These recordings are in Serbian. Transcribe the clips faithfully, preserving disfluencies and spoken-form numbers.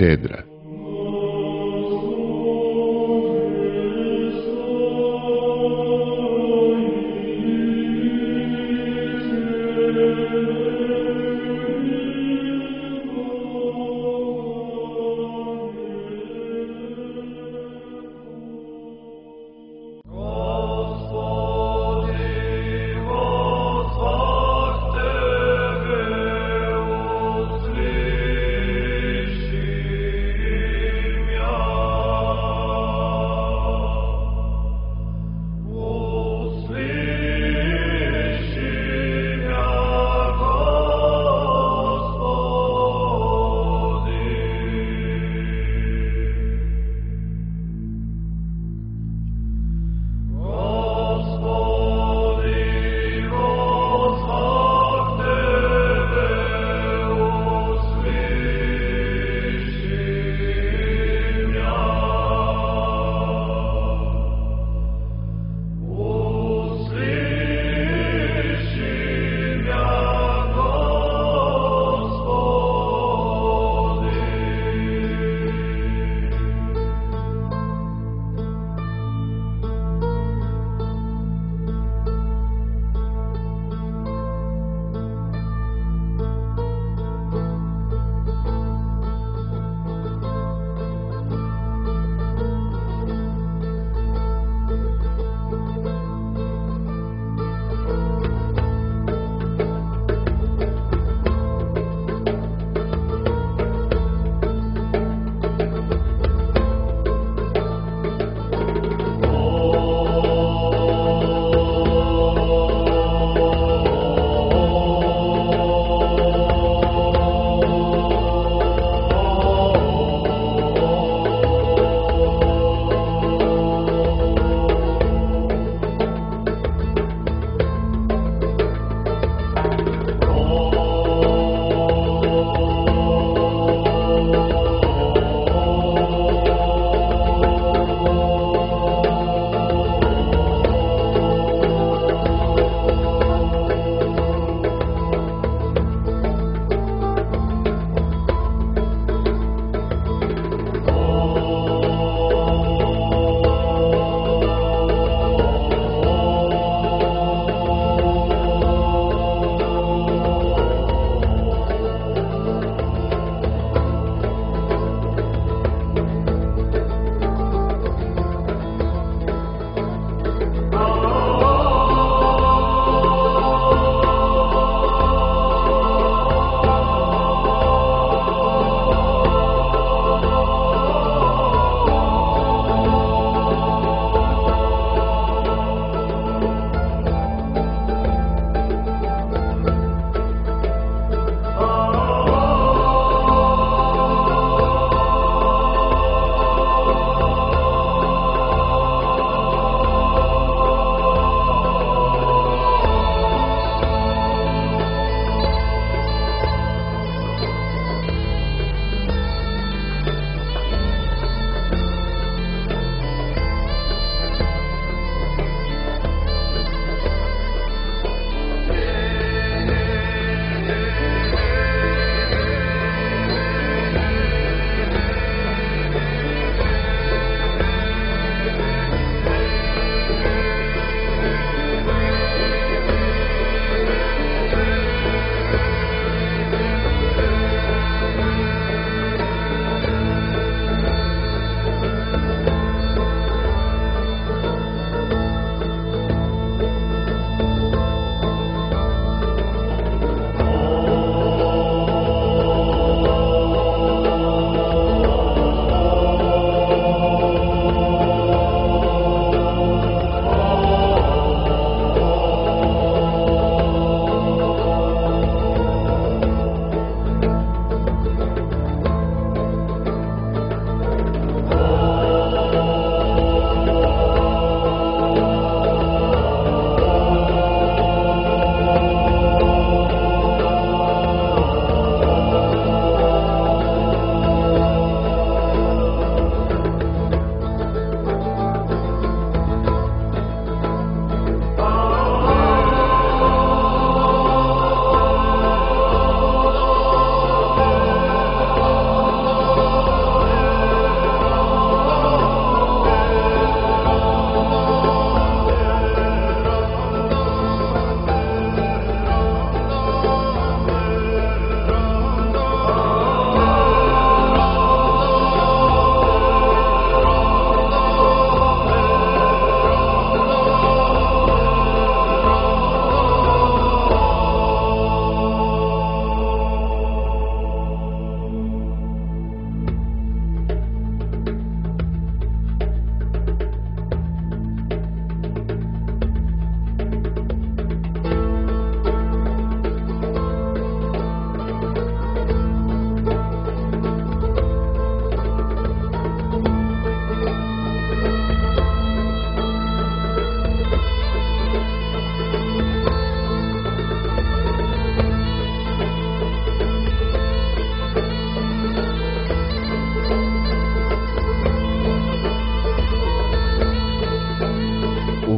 katedra. Thank you.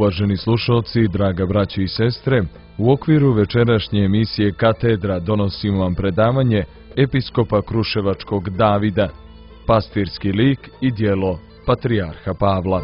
Uvaženi slušalci, draga braćo i sestre, u okviru večerašnje emisije Katedra donosimo vam predavanje episkopa Kruševačkog Davida, pastirski lik i djelo Patrijarha Pavla.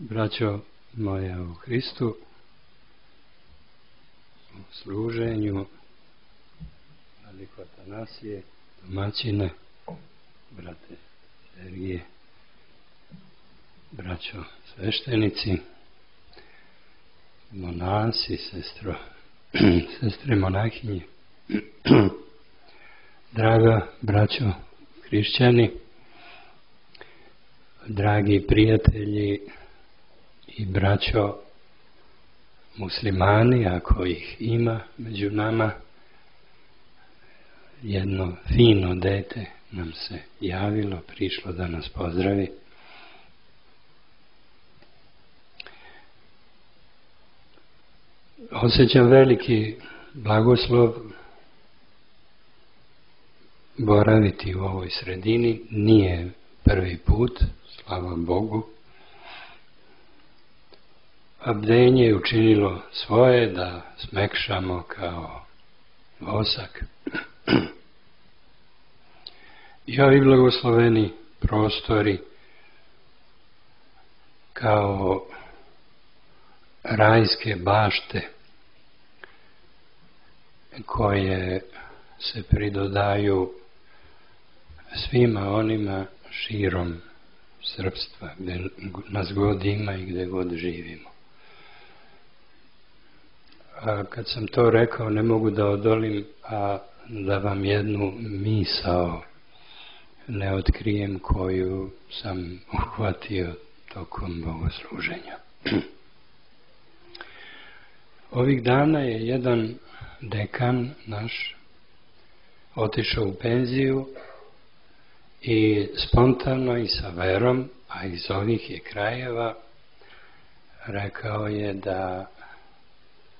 Braćo moja u Hristu, u služenju, Vladiko Atanasije, domaćine, brate Sergije, braćo sveštenici, monasi, sestro, sestre monahinje, draga braćo hrišćani, dragi prijatelji i braćo muslimani, ako ih ima među nama. Jedno fino dete nam se javilo, prišlo da nas pozdravi. Osjećam veliki blagoslov boraviti u ovoj sredini. Nije prvi put, slava Bogu. A bdenje je učinilo svoje da smekšamo kao vosak. I ovi blagosloveni prostori kao rajske bašte koje se pridodaju svima onima širom srpstva, gdje nas god ima i gdje god živimo. A kad sam to rekao, ne mogu da odolim, a da vam jednu misao ne otkrijem koju sam uhvatio tokom bogosluženja. Ovih dana je jedan dekan naš otišao u penziju i spontano i sa verom, a iz ovih je krajeva, rekao je da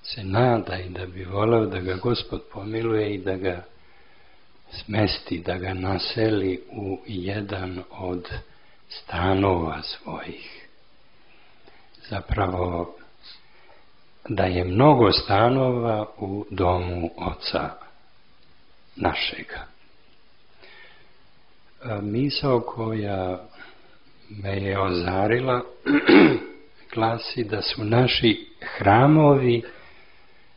se nada i da bi voleo da ga Gospod pomiluje i da ga smesti, da ga naseli u jedan od stanova svojih. Zapravo, da je mnogo stanova u domu Oca našega. Misao koja me je ozarila glasi da su naši hramovi,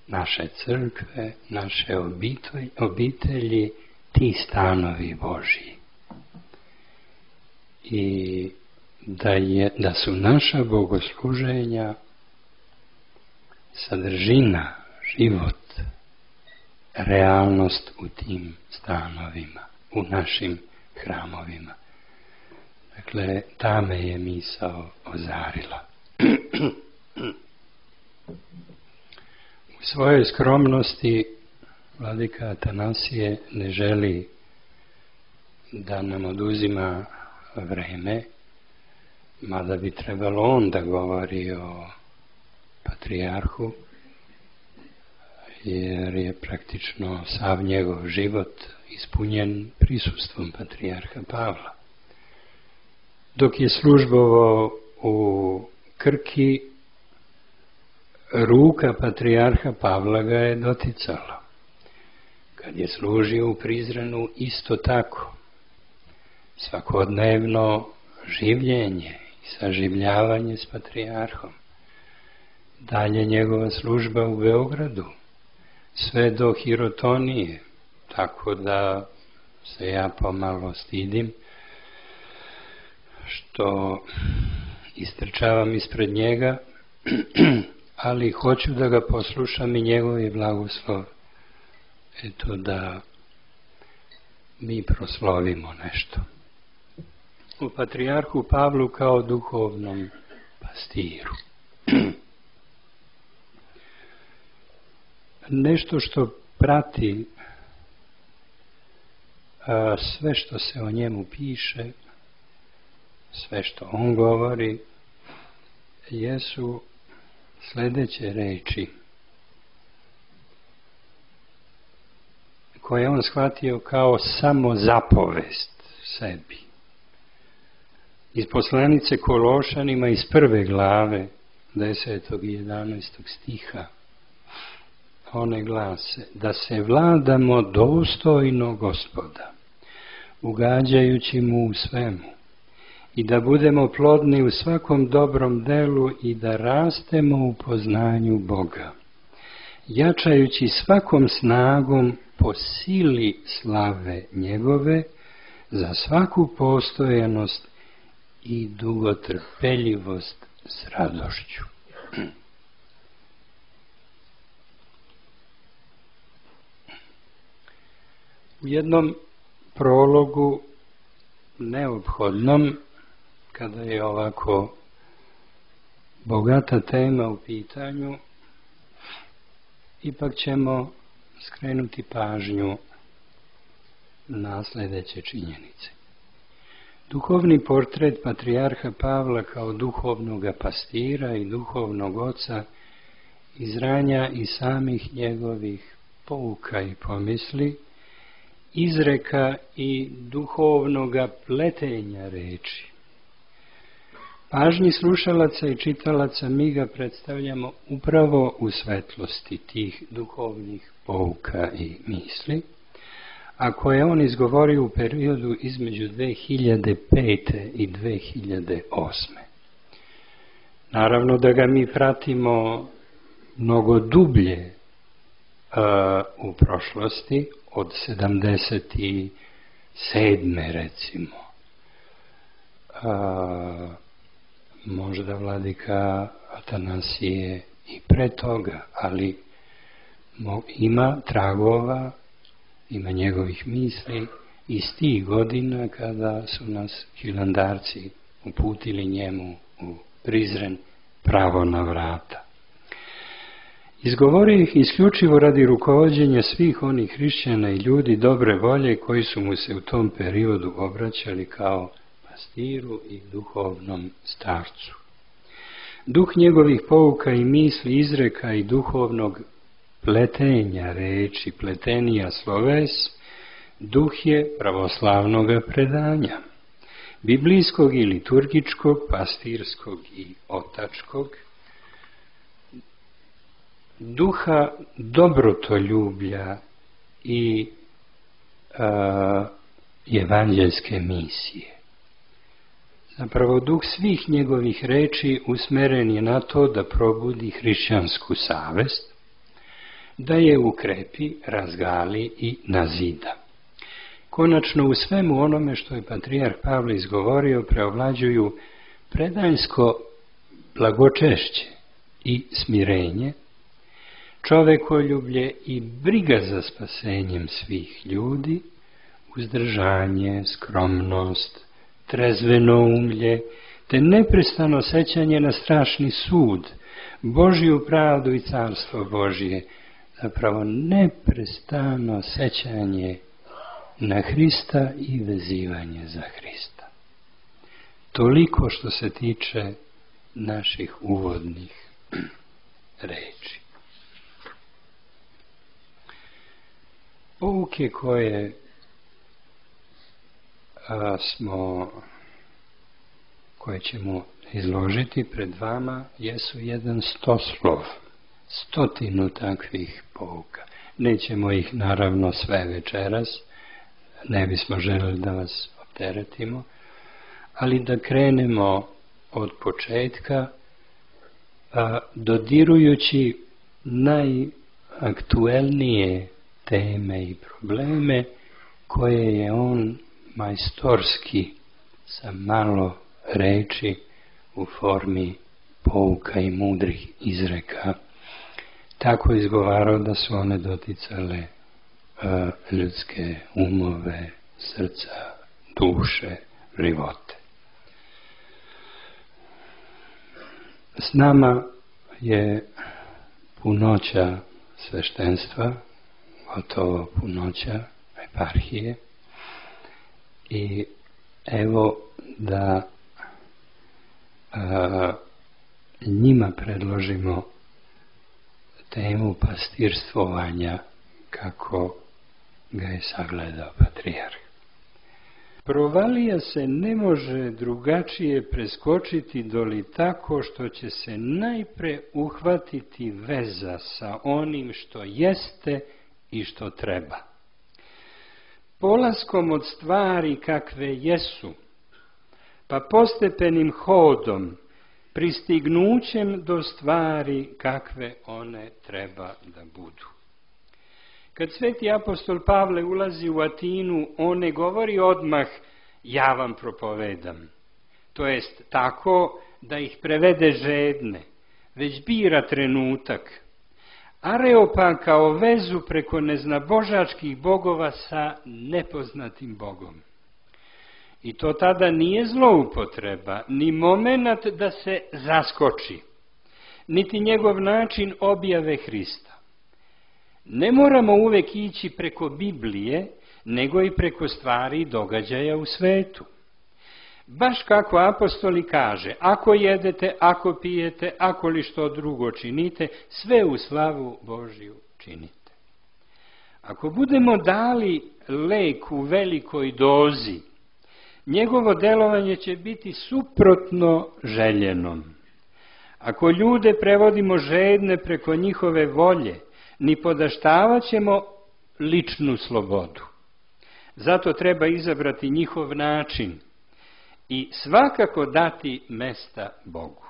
naše crkve, naše obitelji, obitelji ti stanovi Božji. I da, je, da su naša bogosluženja sadržina, život, realnost u tim stanovima, u našim hramovima. Dakle, ta me je misao ozarila. U svojoj skromnosti Vladika Atanasije ne želi da nam oduzima vreme, mada bi trebalo on da govori o patrijarhu, jer je praktično sav njegov život ispunjen prisustvom patrijarha Pavla. Dok je službovao u Krki, ruka patrijarha Pavla ga je doticala. Kad je služio u Prizrenu, isto tako. Svakodnevno življenje i saživljavanje s patrijarhom. Dalje njegova služba u Beogradu, sve do Hirotonije, tako da se ja pomalo stidim što istrčavam ispred njega, ali hoću da ga poslušam i njegov je blagoslov. Eto da mi proslovimo nešto. U patrijarhu Pavlu kao duhovnom pastiru. Nešto što prati a, sve što se o njemu piše, sve što on govori, jesu sljedeće reči koje on shvatio kao samo zapovest sebi. Iz poslanice Kološanima iz prve glave desetog i jedanaestog stiha one glase: da se vladamo dostojno Gospoda, ugađajući mu u svemu, i da budemo plodni u svakom dobrom delu i da rastemo u poznanju Boga, jačajući svakom snagom po sili slave njegove za svaku postojanost i dugotrpeljivost s radošću. U jednom prologu neophodnom, kada je ovako bogata tema u pitanju, ipak ćemo skrenuti pažnju na sljedeće činjenice. Duhovni portret patrijarha Pavla kao duhovnog pastira i duhovnog oca izranja i samih njegovih pouka i pomisli, izreka i duhovnog pletenja reči. Pažnji slušalaca i čitalaca mi ga predstavljamo upravo u svetlosti tih duhovnih pouka i misli, a koje on izgovorio u periodu između dve hiljade pete i dve hiljade osme. Naravno da ga mi pratimo mnogo dublje uh, u prošlosti, od sedamdeset sedme recimo. Uh, možda vladika Atanasije i pre toga, ali ima tragova, ima njegovih misli iz tih godina kada su nas hilandarci uputili njemu u Prizren pravo na vrata. Izgovorio ih isključivo radi rukovođenja svih onih hrišćana i ljudi dobre volje koji su mu se u tom periodu obraćali kao pastiru i duhovnom starcu. Duh njegovih pouka i misli, izreka i duhovnog pletenja reči, pletenija sloves, duh je pravoslavnog predanja, biblijskog i liturgičkog, pastirskog i otačkog, duha dobrotoljublja i a, evanđelske misije. Zapravo duh svih njegovih reči usmeren je na to da probudi hrišćansku savest, da je ukrepi, razgali i nazida. Konačno u svemu onome što je patrijarh Pavle izgovorio preovlađuju predanjsko blagočešće i smirenje, čovekoljublje i briga za spasenjem svih ljudi, uzdržanje, skromnost, trezveno umlje, te neprestano sećanje na strašni sud, Božju pravdu i carstvo Božje, zapravo neprestano sećanje na Hrista i vezivanje za Hrista. Toliko što se tiče naših uvodnih reči. Pouke koje a, smo koje ćemo izložiti pred vama jesu jedan stoslov, stotinu takvih pouka. Nećemo ih naravno sve večeras, ne bismo želeli da vas opteretimo, ali da krenemo od početka, a, dodirujući najaktuelnije teme i probleme koje je on majstorski sa malo reči u formi pouka i mudrih izreka tako izgovarao da su one doticale a, ljudske umove, srca, duše, živote. S nama je punoća sveštenstva, gotovo punoća eparhije, i evo da a, njima predložimo temu pastirstvovanja kako ga je sagledao patrijarh. Provalija se ne može drugačije preskočiti doli tako što će se najpre uhvatiti veza sa onim što jeste i što treba. Polaskom od stvari kakve jesu, pa postepenim hodom, pristignućem do stvari kakve one treba da budu. Kad sveti apostol Pavle ulazi u Atinu, on ne govori odmah ja vam propovedam. To jest tako da ih prevede žedne, već bira trenutak. Areopan kao vezu preko neznabožačkih bogova sa nepoznatim Bogom. I to tada nije zloupotreba, ni moment da se zaskoči, niti njegov način objave Hrista. Ne moramo uvek ići preko Biblije, nego i preko stvari i događaja u svetu. Baš kako apostoli kaže, ako jedete, ako pijete, ako li što drugo činite, sve u slavu Božju činite. Ako budemo dali lek u velikoj dozi, njegovo delovanje će biti suprotno željenom. Ako ljude prevodimo žedne preko njihove volje, ni podaštavat ćemo ličnu slobodu. Zato treba izabrati njihov način i svakako dati mesta Bogu.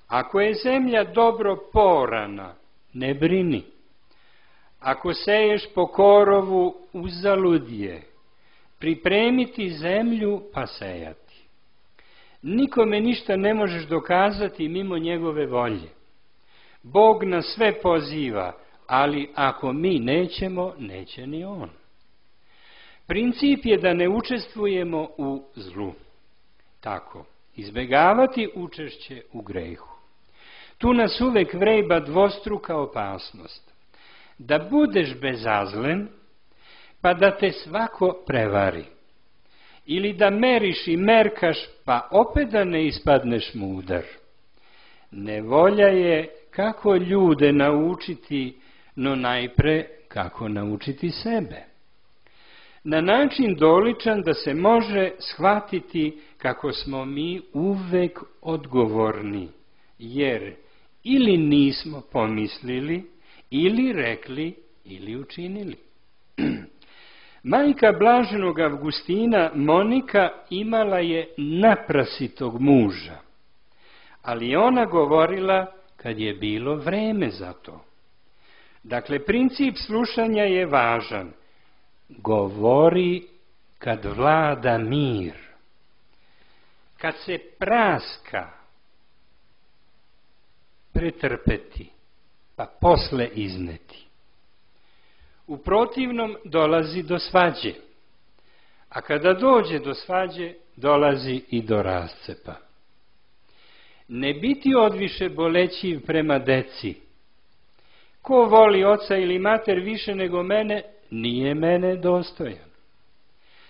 Ako je zemlja dobro porana, ne brini. Ako seješ po korovu, uzalud je. Pripremiti zemlju pa sejati. Nikome ništa ne možeš dokazati mimo njegove volje. Bog nas sve poziva, ali ako mi nećemo, neće ni on. Princip je da ne učestvujemo u zlu. Tako, izbegavati učešće u grehu. Tu nas uvek vreba dvostruka opasnost. Da budeš bezazlen, pa da te svako prevari. Ili da meriš i merkaš, pa opet da ne ispadneš mudar. Nevolja je kako ljude naučiti, no najpre kako naučiti sebe. Na način doličan da se može shvatiti kako smo mi uvek odgovorni, jer ili nismo pomislili, ili rekli, ili učinili. Majka blaženog Avgustina, Monika, imala je naprasitog muža, ali ona govorila kad je bilo vreme za to. Dakle, princip slušanja je važan. Govori kad vlada mir. Kad se praska, pretrpeti, pa posle izneti. U protivnom dolazi do svađe, a kada dođe do svađe, dolazi i do rascepa. Ne biti odviše bolećiv prema deci. Ko voli oca ili mater više nego mene, nije mene dostojan.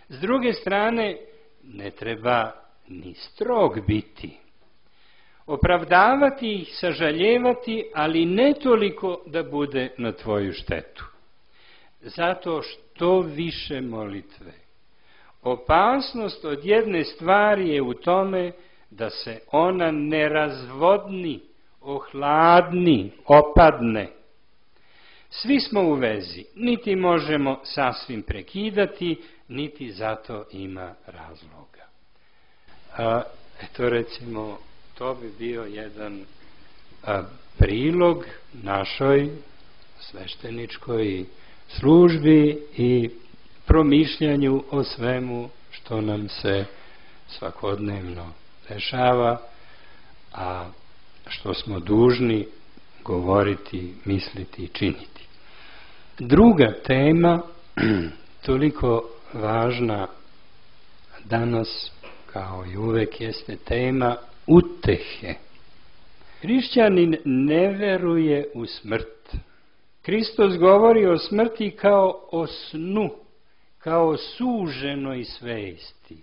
S druge strane, ne treba ni strog biti. Opravdavati ih, sažaljevati, ali ne toliko da bude na tvoju štetu. Zato što više molitve. Opasnost od jedne stvari je u tome da se ona ne razvodni, ohladni, opadne. Svi smo u vezi, niti možemo sasvim prekidati, niti zato ima razloga. A, eto recimo, to bi bio jedan a, prilog našoj svešteničkoj službi i promišljanju o svemu što nam se svakodnevno dešava, a što smo dužni govoriti, misliti i činiti. Druga tema, toliko važna danas kao i uvek, jeste tema utehe. Hrišćanin ne veruje u smrt. Hristos govori o smrti kao o snu, kao suženoj svesti.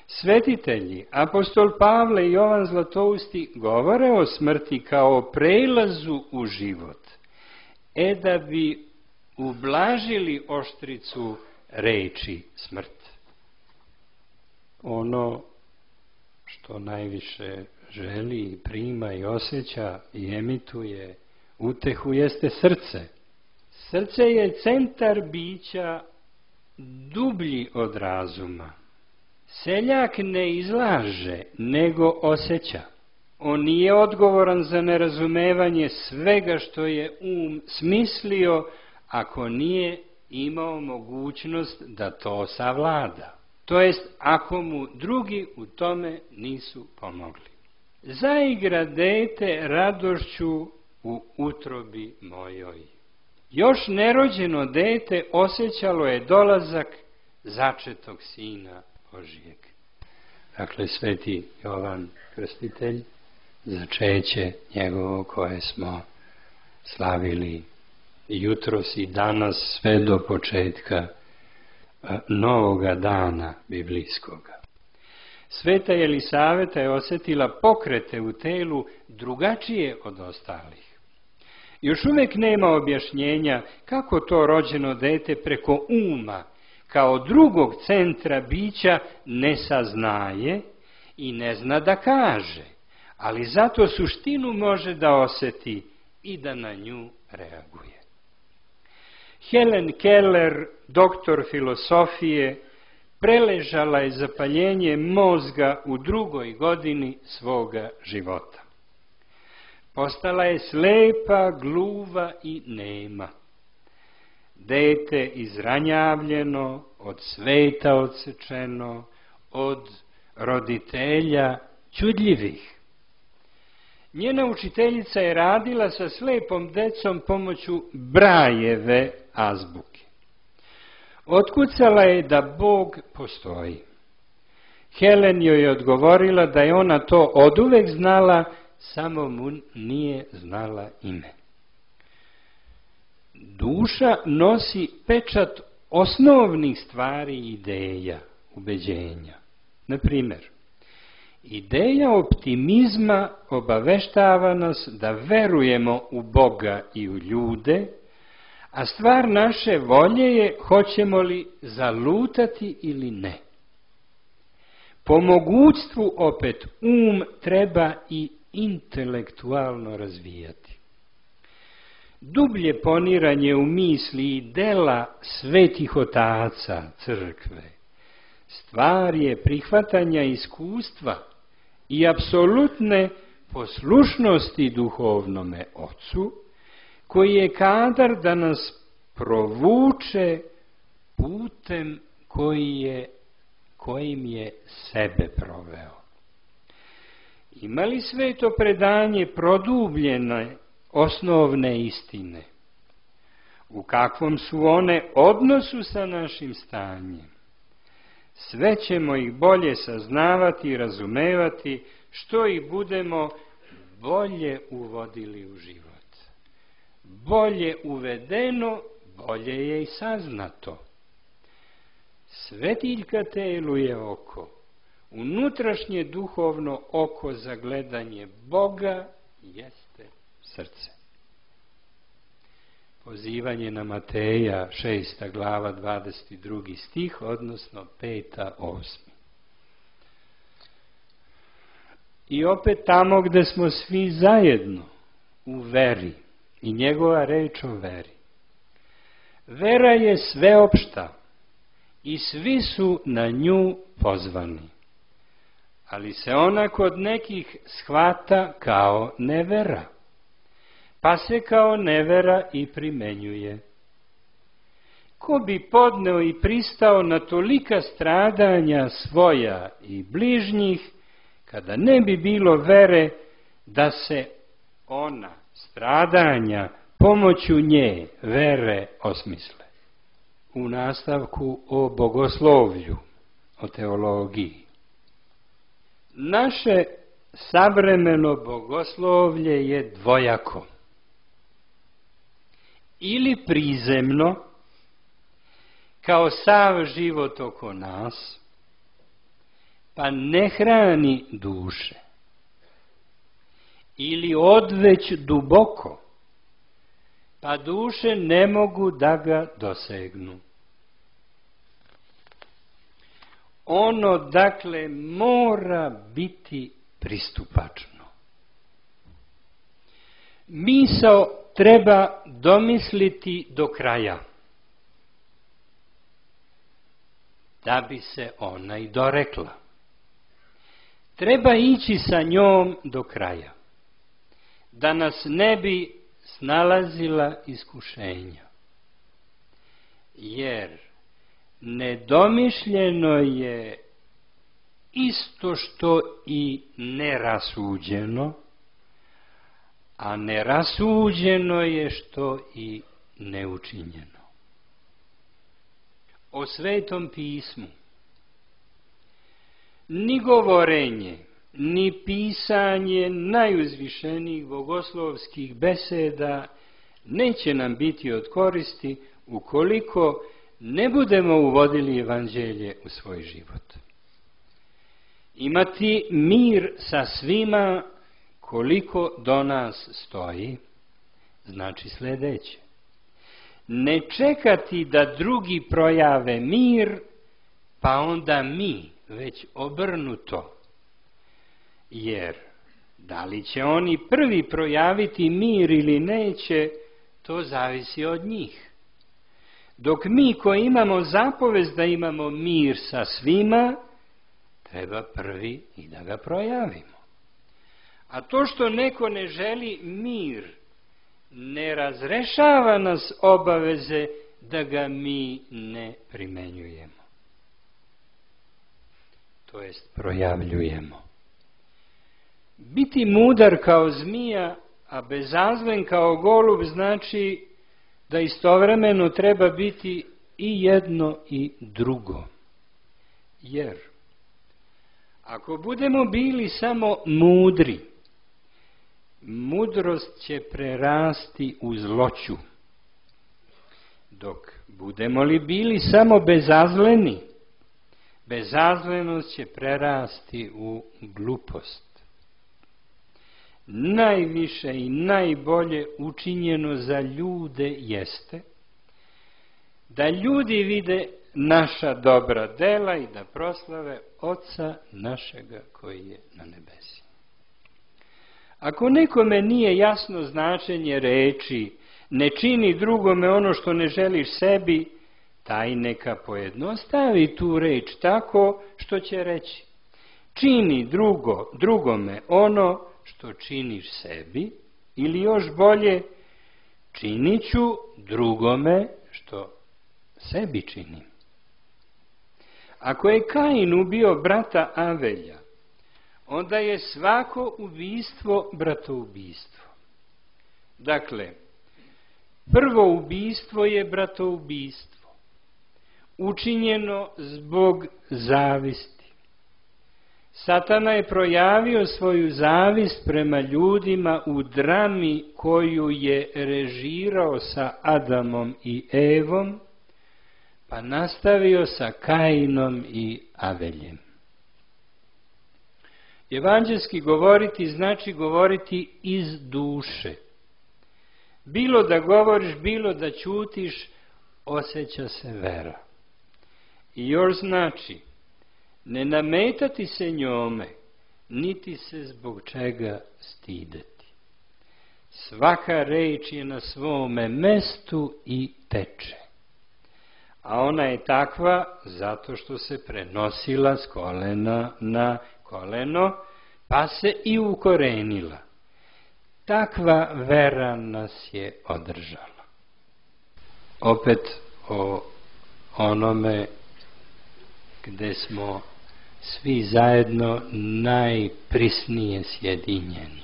Svetitelji, apostol Pavle i Jovan Zlatousti, govore o smrti kao o prelazu u život, e da bi ublažili oštricu reči smrt. Ono što najviše želi i prima i osjeća i emituje utehu jeste srce. Srce je centar bića dublji od razuma. Seljak ne izlaže, nego osjeća. On nije odgovoran za nerazumevanje svega što je um smislio, ako nije imao mogućnost da to savlada. To jest, ako mu drugi u tome nisu pomogli. Zaigra dete radošću u utrobi mojoj. Još nerođeno dete osjećalo je dolazak začetog Sina Božijeg. Dakle, sveti Jovan Krstitelj, začeće njegovo koje smo slavili jutros i danas sve do početka novoga dana biblijskoga. Sveta Jelisaveta je osjetila pokrete u telu drugačije od ostalih. Još uvijek nema objašnjenja kako to rođeno dete preko uma, kao drugog centra bića, ne saznaje i ne zna da kaže, ali zato suštinu može da osjeti i da na nju reaguje. Helen Keller, doktor filosofije, preležala je zapaljenje mozga u drugoj godini svoga života. Postala je slepa, gluva i nema. Dete izranjavljeno, od sveta odsečeno, od roditelja čudljivih. Njena učiteljica je radila sa slepom decom pomoću Brajeve azbuke. Otkucala je da Bog postoji. Helen joj je odgovorila da je ona to oduvek znala, samo mu nije znala ime. Duša nosi pečat osnovnih stvari i ideja, ubeđenja. Na primjer, ideja optimizma obaveštava nas da verujemo u Boga i u ljude, a stvar naše volje je hoćemo li zalutati ili ne. Po mogućstvu opet um treba i intelektualno razvijati. Dublje poniranje u misli i dela svetih otaca crkve stvar je prihvatanja iskustva i apsolutne poslušnosti duhovnome ocu, koji je kadar da nas provuče putem koji je, kojim je sebe proveo. Ima li sveto predanje produbljene osnovne istine? U kakvom su one odnosu sa našim stanjem? Sve ćemo ih bolje saznavati i razumevati, što ih budemo bolje uvodili u život. Bolje uvedeno, bolje je i saznato. Svetiljka telu je oko, unutrašnje duhovno oko za gledanje Boga jeste srce. Pozivanje na Mateja, šesta glava, dvadeset drugi stih, odnosno peta osmi. I opet tamo gde smo svi zajedno u veri i njegova reč o veri. Vera je sveopšta i svi su na nju pozvani, ali se ona kod nekih shvata kao nevera, pa se kao nevera i primenjuje. Ko bi podneo i pristao na tolika stradanja svoja i bližnjih, kada ne bi bilo vere da se ona stradanja pomoću nje vere osmisle. U nastavku o bogoslovlju, o teologiji. Naše savremeno bogoslovlje je dvojako. Ili prizemno, kao sav život oko nas, pa ne hrani duše. Ili odveć duboko, pa duše ne mogu da ga dosegnu. Ono, dakle, mora biti pristupačno. Misao treba domisliti do kraja, da bi se ona i dorekla. Treba ići sa njom do kraja, da nas ne bi snalazila iskušenja. Jer nedomišljeno je isto što i nerasuđeno, a nerasuđeno je što i neučinjeno. O Svetom pismu ni govorenje, ni pisanje najuzvišenijih bogoslovskih beseda neće nam biti od koristi ukoliko ne budemo uvodili evanđelje u svoj život. Imati mir sa svima koliko do nas stoji, znači sljedeće. Ne čekati da drugi projave mir, pa onda mi, već obrnuto. Jer da li će oni prvi projaviti mir ili neće, to zavisi od njih. Dok mi koji imamo zapovest da imamo mir sa svima, treba prvi i da ga projavimo. A to što neko ne želi mir, ne razrešava nas obaveze da ga mi ne primenjujemo. To jest projavljujemo. Biti mudar kao zmija, a bezazlen kao golub, znači da istovremeno treba biti i jedno i drugo. Jer ako budemo bili samo mudri, mudrost će prerasti u zloću. Dok budemo li bili samo bezazleni, bezazlenost će prerasti u glupost. Najviše i najbolje učinjeno za ljude jeste da ljudi vide naša dobra dela i da proslave Oca našega koji je na nebesima. Ako nekome nije jasno značenje reči ne čini drugome ono što ne želiš sebi, taj neka pojednostavi tu reč tako što će reći: čini drugo, drugome ono što činiš sebi, ili još bolje, činit ću drugome što sebi činim. Ako je Kain ubio brata Avelja, onda je svako ubistvo bratoubistvo. Dakle, prvo ubistvo je bratoubistvo, učinjeno zbog zavisti. Satana je projavio svoju zavist prema ljudima u drami koju je režirao sa Adamom i Evom, pa nastavio sa Kainom i Aveljem. Evanđelski govoriti znači govoriti iz duše. Bilo da govoriš, bilo da ćutiš, osjeća se vera. I još znači ne nametati se njome, niti se zbog čega stideti. Svaka reč je na svome mestu i teče. A ona je takva zato što se prenosila s kolena na koleno, pa se i ukorenila. Takva vera nas je održala. Opet o onome gde smo svi zajedno najprisnije sjedinjeni.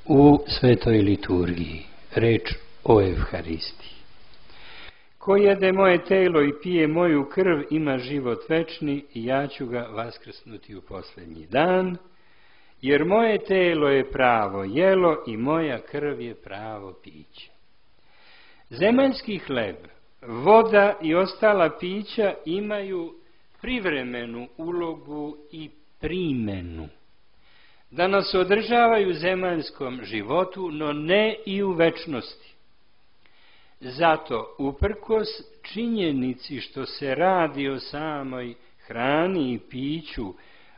U svetoj liturgiji, reč o Evharistiji. Ko jede moje telo i pije moju krv, ima život večni i ja ću ga vaskrsnuti u posljednji dan, jer moje telo je pravo jelo i moja krv je pravo piće. Zemaljski hleb, voda i ostala pića imaju privremenu ulogu i primenu, da nas održavaju u zemaljskom životu, no ne i u večnosti. Zato, uprkos činjenici što se radi o samoj hrani i piću,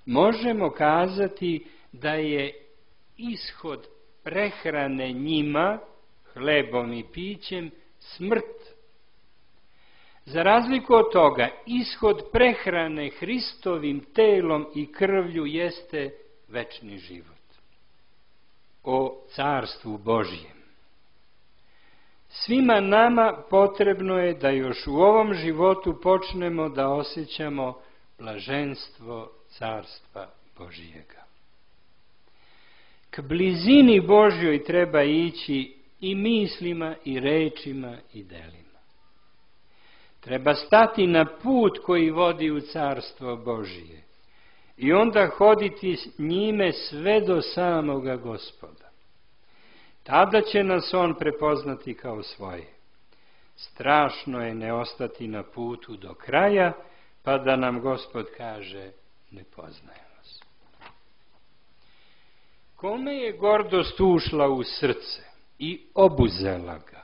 možemo kazati da je ishod prehrane njima, hlebom i pićem, smrt. Za razliku od toga, ishod prehrane Hristovim telom i krvlju jeste večni život. O carstvu Božjem. Svima nama potrebno je da još u ovom životu počnemo da osjećamo blaženstvo carstva Božjega. K blizini Božjoj treba ići i mislima, i rečima, i delima. Treba stati na put koji vodi u carstvo Božje i onda hoditi s njime sve do samoga Gospoda. Tada će nas on prepoznati kao svoje. Strašno je ne ostati na putu do kraja, pa da nam Gospod kaže, ne poznajem vas. Kome je gordost ušla u srce i obuzela ga,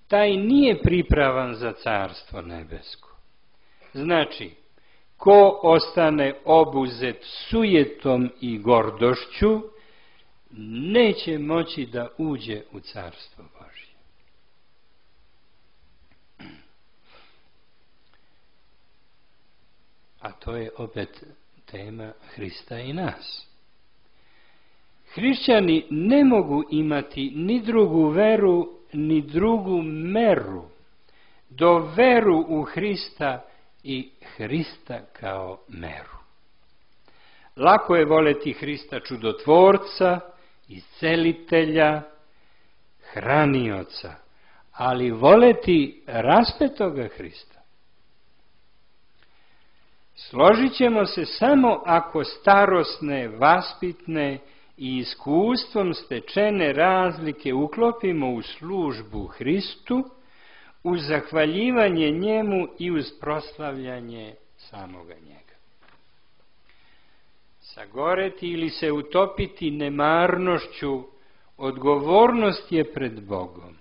taj nije pripravan za carstvo nebesko. Znači, ko ostane obuzet sujetom i gordošću, neće moći da uđe u carstvo Božje. A to je opet tema Hrista i nas. Hrišćani ne mogu imati ni drugu veru, ni drugu meru, do veru u Hrista i Hrista kao meru. Lako je voleti Hrista čudotvorca, iscelitelja, hranioca, ali voleti raspetoga Hrista. Složit ćemo se samo ako starosne, vaspitne i iskustvom stečene razlike uklopimo u službu Hristu, uz zahvaljivanje njemu i uz proslavljanje samoga njega. Sagoreti ili se utopiti nemarnošću, odgovornost je pred Bogom.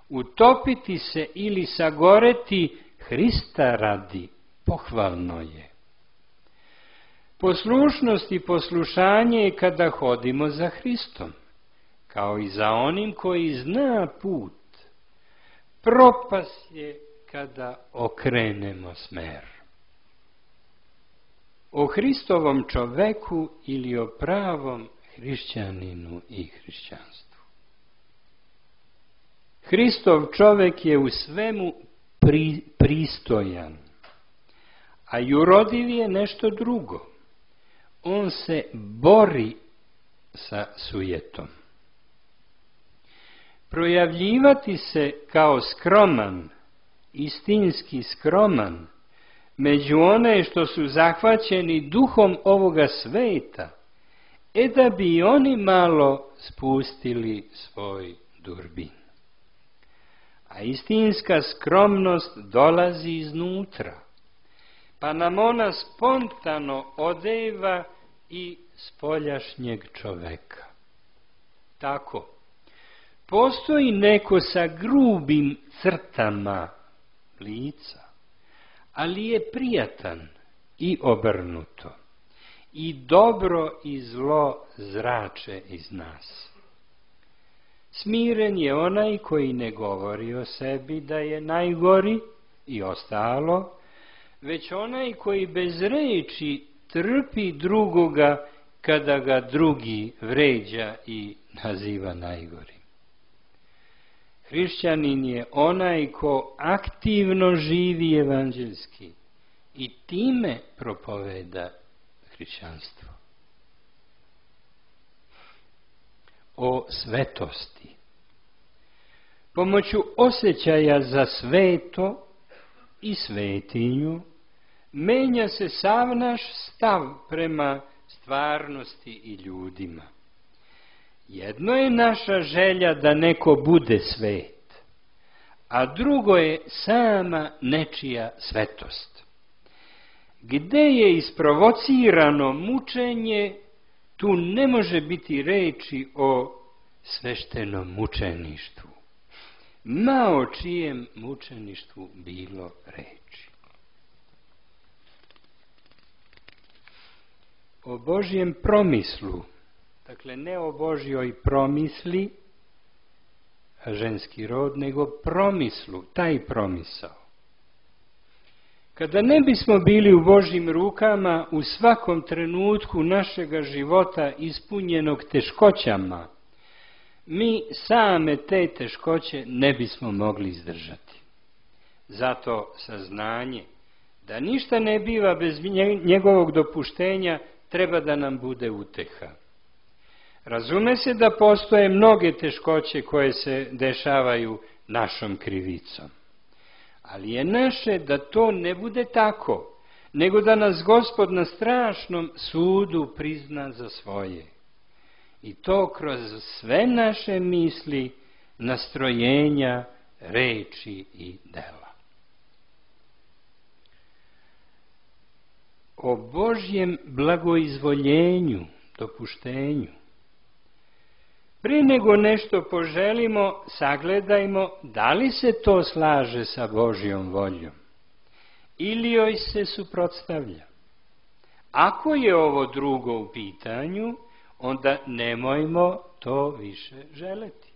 Utopiti se ili sagoreti Hrista radi, pohvalno je. Poslušnost i poslušanje je kada hodimo za Hristom, kao i za onim koji zna put. Propast je kada okrenemo smer. O Hristovom čoveku ili o pravom hrišćaninu i hrišćanstvu. Hristov čovek je u svemu pri, pristojan, a jurodiv je nešto drugo. On se bori sa sujetom. Projavljivati se kao skroman, istinski skroman, među one što su zahvaćeni duhom ovoga sveta, e da bi i oni malo spustili svoj durbin. A istinska skromnost dolazi iznutra, pa nam ona spontano odeva i spoljašnjeg čoveka. Tako, postoji neko sa grubim crtama lica, ali je prijatan i obrnuto. i dobro i zlo zrače iz nas. Smiren je onaj koji ne govori o sebi da je najgori i ostalo, već onaj koji bez reči trpi drugoga kada ga drugi vređa i naziva najgorim. Hrišćanin je onaj ko aktivno živi evanđelski i time propoveda hrišćanstvo. O svetosti. Pomoću osjećaja za sveto i svetinju menja se sav naš stav prema stvarnosti i ljudima. Jedno je naša želja da neko bude svet, a drugo je sama nečija svetost. Gde je isprovocirano mučenje, tu ne može biti reči o sveštenom mučeništvu, ma o čijem mučeništvu bilo reči. O Božjem promislu, dakle ne o Božjoj promisli, ženski rod, nego promislu, taj promisao. Kada ne bismo bili u Božjim rukama u svakom trenutku našega života ispunjenog teškoćama, mi same te teškoće ne bismo mogli izdržati. Zato saznanje da ništa ne biva bez njegovog dopuštenja treba da nam bude uteha. Razume se da postoje mnoge teškoće koje se dešavaju našom krivicom. Ali je naše da to ne bude tako, nego da nas Gospod na strašnom sudu prizna za svoje. I to kroz sve naše misli, nastrojenja, reči i dela. O Božjem blagoizvoljenju, dopuštenju. Prije nego nešto poželimo, sagledajmo da li se to slaže sa Božjom voljom ili joj se suprotstavlja. Ako je ovo drugo u pitanju, onda nemojmo to više želeti.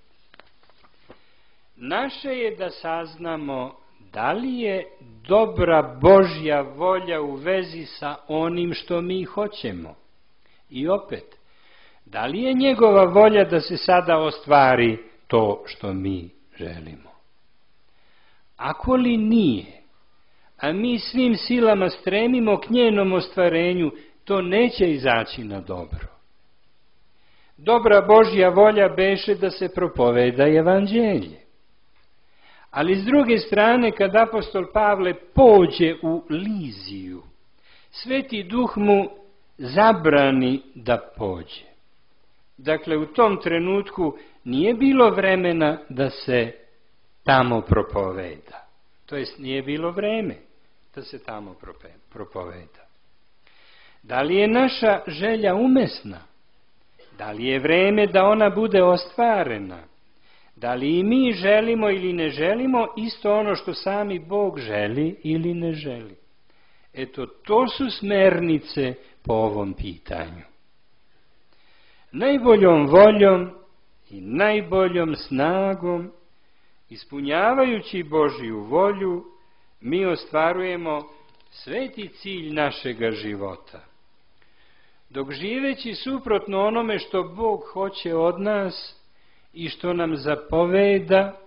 Naše je da saznamo da li je dobra Božja volja u vezi sa onim što mi hoćemo. I opet, da li je njegova volja da se sada ostvari to što mi želimo? Ako li nije, a mi svim silama stremimo k njenom ostvarenju, to neće izaći na dobro. Dobra Božja volja beše da se propoveda evanđelje. Ali s druge strane, kad apostol Pavle pođe u Liziju, Sveti Duh mu zabrani da pođe. Dakle, u tom trenutku nije bilo vremena da se tamo propoveda. To jest, nije bilo vreme da se tamo propoveda. Da li je naša želja umesna? Da li je vreme da ona bude ostvarena? Da li i mi želimo ili ne želimo isto ono što sami Bog želi ili ne želi? Eto, to su smernice po ovom pitanju. Najboljom voljom i najboljom snagom, ispunjavajući Božju volju, mi ostvarujemo sveti cilj našega života. Dok živeći suprotno onome što Bog hoće od nas i što nam zapoveda,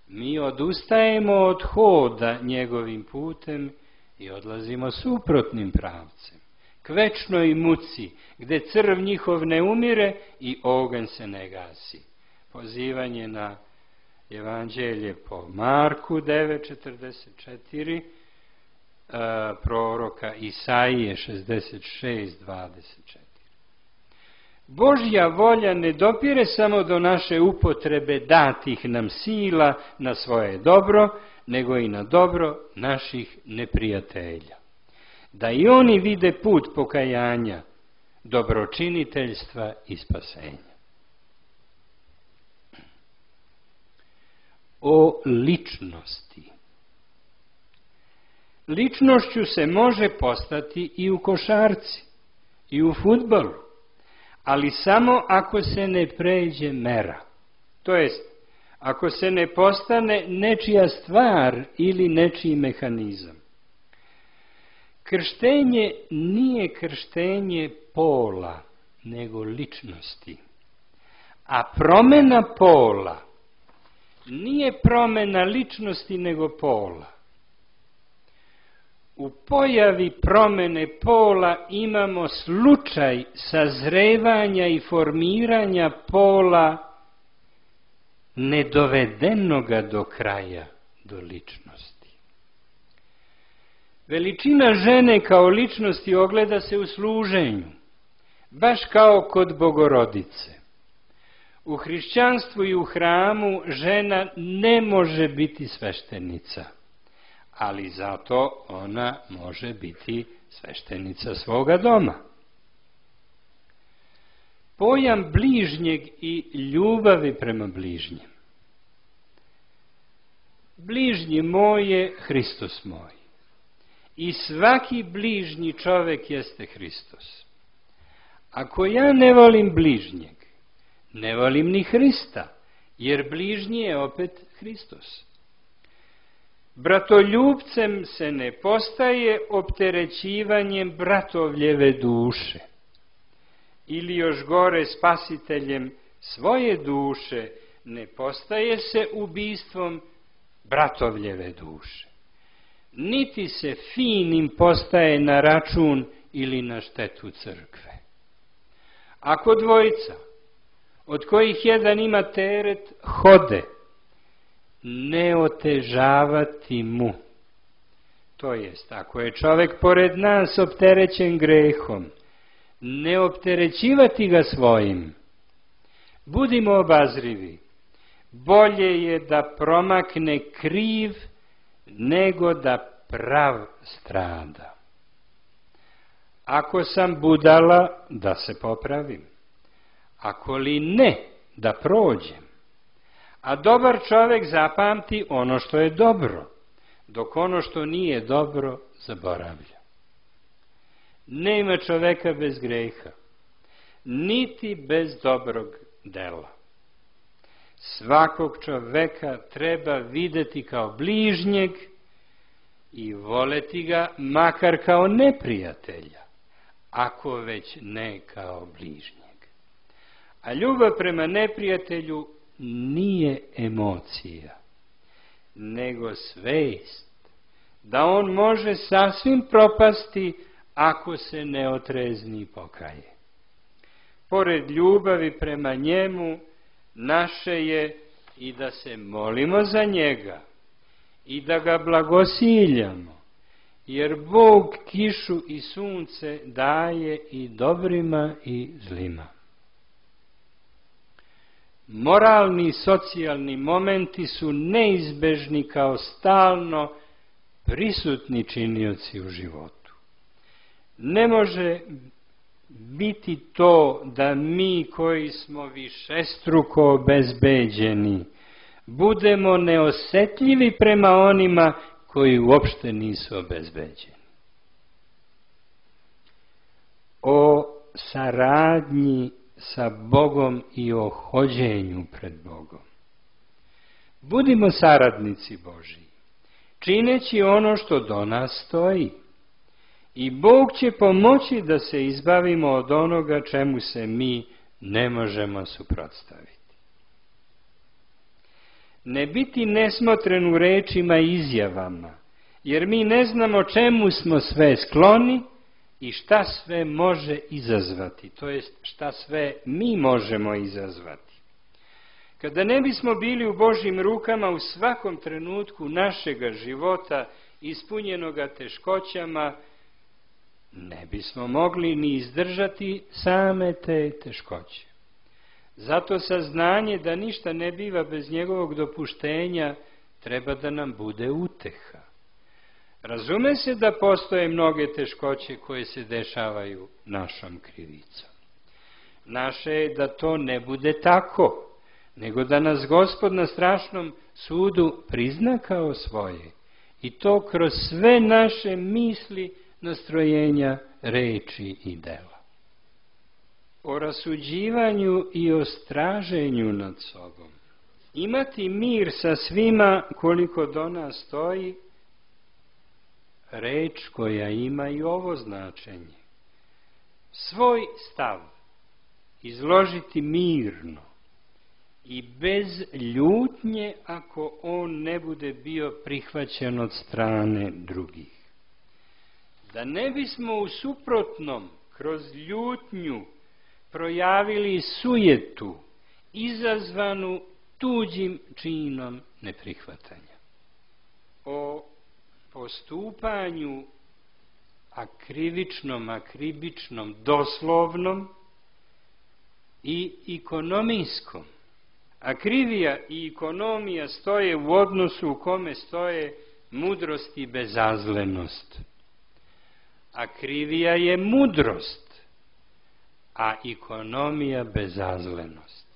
mi odustajemo od hoda njegovim putem i odlazimo suprotnim pravcem, k večnoj muci, gde crv njihov ne umire i oganj se ne gasi. Pozivanje na evanđelje po Marku devet četrdeset četiri, proroka Isaije šezdeset šest dvadeset četiri. Božja volja ne dopire samo do naše upotrebe datih nam sila na svoje dobro, nego i na dobro naših neprijatelja. Da i oni vide put pokajanja, dobročiniteljstva i spasenja. O ličnosti. Ličnošću se može postati i u košarci, i u fudbalu, ali samo ako se ne pređe mera. To jest, ako se ne postane nečija stvar ili nečiji mehanizam. Krštenje nije krštenje pola, nego ličnosti. A promjena pola nije promjena ličnosti, nego pola. U pojavi promjene pola imamo slučaj sazrevanja i formiranja pola nedovedenoga do kraja, do ličnosti. Veličina žene kao ličnosti ogleda se u služenju, baš kao kod Bogorodice. U hrišćanstvu i u hramu žena ne može biti sveštenica, ali zato ona može biti sveštenica svoga doma. Pojam bližnjeg i ljubavi prema bližnjem. Bližnji moj je Hristos moj. I svaki bližnji čovek jeste Hristos. Ako ja ne volim bližnjeg, ne volim ni Hrista, jer bližnji je opet Hristos. Bratoljubcem se ne postaje opterećivanjem bratovljeve duše, ili još gore spasiteljem svoje duše ne postaje se ubistvom bratovljeve duše. Niti se finim postaje na račun ili na štetu crkve. Ako dvojica, od kojih jedan ima teret, hode, ne otežavati mu. To jest, ako je čovek pored nas opterećen grehom, ne opterećivati ga svojim. Budimo obazrivi. Bolje je da promakne kriv, nego da prav strada. Ako sam budala, da se popravim. Ako li ne, da prođem. A dobar čovek zapamti ono što je dobro, dok ono što nije dobro zaboravlja. Nema čoveka bez greha, niti bez dobrog dela. Svakog čoveka treba videti kao bližnjeg i voleti ga makar kao neprijatelja, ako već ne kao bližnjeg. A ljubav prema neprijatelju nije emocija, nego svest, da on može sasvim propasti ako se ne otrezni i pokaje. Pored ljubavi prema njemu, naše je i da se molimo za njega i da ga blagosiljamo, jer Bog kišu i sunce daje i dobrima i zlima. Moralni i socijalni momenti su neizbežni kao stalno prisutni činioci u životu. Ne može biti to da mi koji smo višestruko obezbeđeni budemo neosetljivi prema onima koji uopšte nisu obezbeđeni. O saradnji sa Bogom i o hođenju pred Bogom. Budimo saradnici Božji, čineći ono što do nas stoji. I Bog će pomoći da se izbavimo od onoga čemu se mi ne možemo suprotstaviti. Ne biti nesmotren u rečima i izjavama, jer mi ne znamo čemu smo sve skloni i šta sve može izazvati, to jest šta sve mi možemo izazvati. Kada ne bismo bili u Božjim rukama u svakom trenutku našega života ispunjenoga teškoćama, ne bismo mogli ni izdržati same te teškoće. Zato saznanje da ništa ne biva bez njegovog dopuštenja treba da nam bude uteha. Razume se da postoje mnoge teškoće koje se dešavaju našom krivicom. Naše je da to ne bude tako, nego da nas Gospod na strašnom sudu prizna kao svoje, i to kroz sve naše misli, nastrojenja, reči i dela. o rasuđivanju i o straženju nad sobom. Imati mir sa svima koliko do nas stoji, reč koja ima i ovo značenje. Svoj stav izložiti mirno i bez ljutnje ako on ne bude bio prihvaćen od strane drugih. Da ne bismo u suprotnom kroz ljutnju projavili sujetu izazvanu tuđim činom neprihvatanja. O postupanju akrivičnom, akribičnom, doslovnom i ekonomijskom. Akrivija i ekonomija stoje u odnosu u kome stoje mudrost i bezazlenost. Akrivija je mudrost, a ekonomija bezazlenost.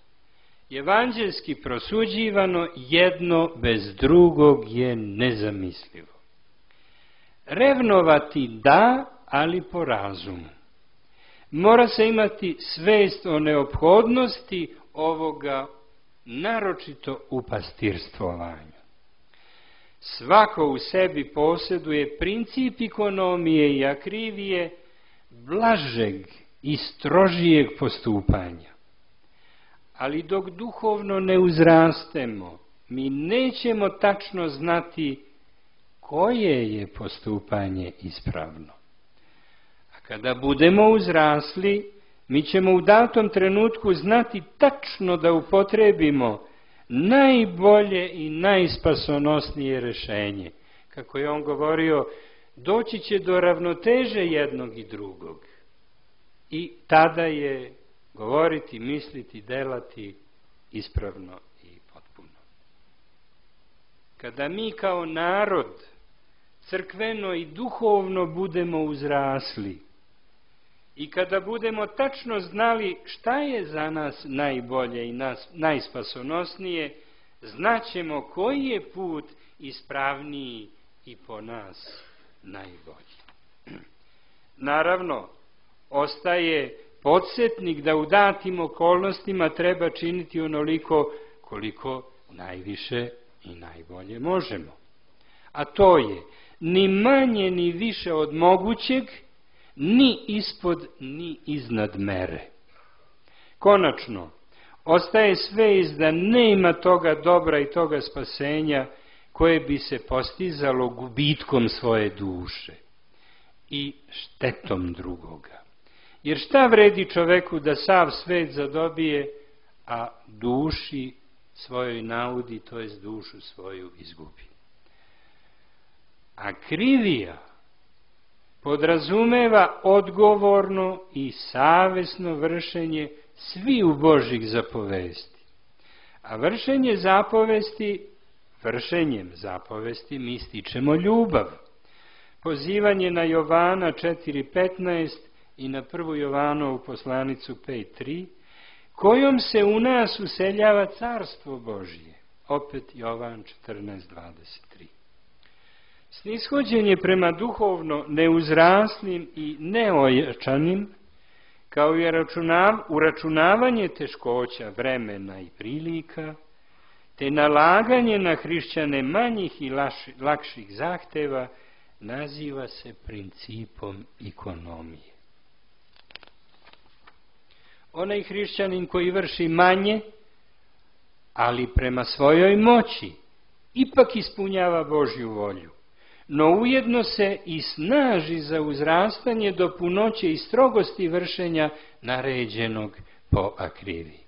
Evanđelski prosuđivano jedno bez drugog je nezamislivo. Revnovati da, ali po razumu. Mora se imati svest o neophodnosti ovoga, naročito u pastirstovanju. Svako u sebi posjeduje princip ekonomije i akrivije blažeg i strožijeg postupanja. Ali dok duhovno ne uzrastemo, mi nećemo tačno znati koje je postupanje ispravno. A kada budemo uzrasli, mi ćemo u datom trenutku znati tačno da upotrebimo najbolje i najspasonosnije rješenje. Kako je on govorio, doći će do ravnoteže jednog i drugog. I tada je govoriti, misliti, delati ispravno i potpuno. Kada mi kao narod crkveno i duhovno budemo uzrasli i kada budemo tačno znali šta je za nas najbolje i nas, najspasonosnije, znaćemo koji je put ispravniji i po nas najbolji. Naravno, ostaje podsjetnik da u datim okolnostima treba činiti onoliko koliko najviše i najbolje možemo. A to je ni manje ni više od mogućeg, ni ispod ni iznad mere. Konačno, ostaje svest da nema toga dobra i toga spasenja koje bi se postizalo gubitkom svoje duše i štetom drugoga. Jer šta vredi čoveku da sav svet zadobije, a duši svojoj naudi, to jest dušu svoju izgubi. Akrivija podrazumeva odgovorno i savesno vršenje sviju Božjih zapovesti. A vršenje zapovesti, vršenjem zapovesti mi stičemo ljubav. Pozivanje na Jovana četiri petnaest i na prvu Jovanovu poslanicu pet tri, kojom se u nas useljava carstvo Božje. Opet Jovan četrnaest dvadeset tri. Snishođenje prema duhovno neuzraslim i neojačanim, kao i uračunavanje teškoća vremena i prilika, te nalaganje na hrišćane manjih i lakših zahteva, naziva se principom ekonomije. Onaj hrišćanin koji vrši manje, ali prema svojoj moći, ipak ispunjava Božju volju, no ujedno se i snaži za uzrastanje do punoće i strogosti vršenja naređenog po akriviji.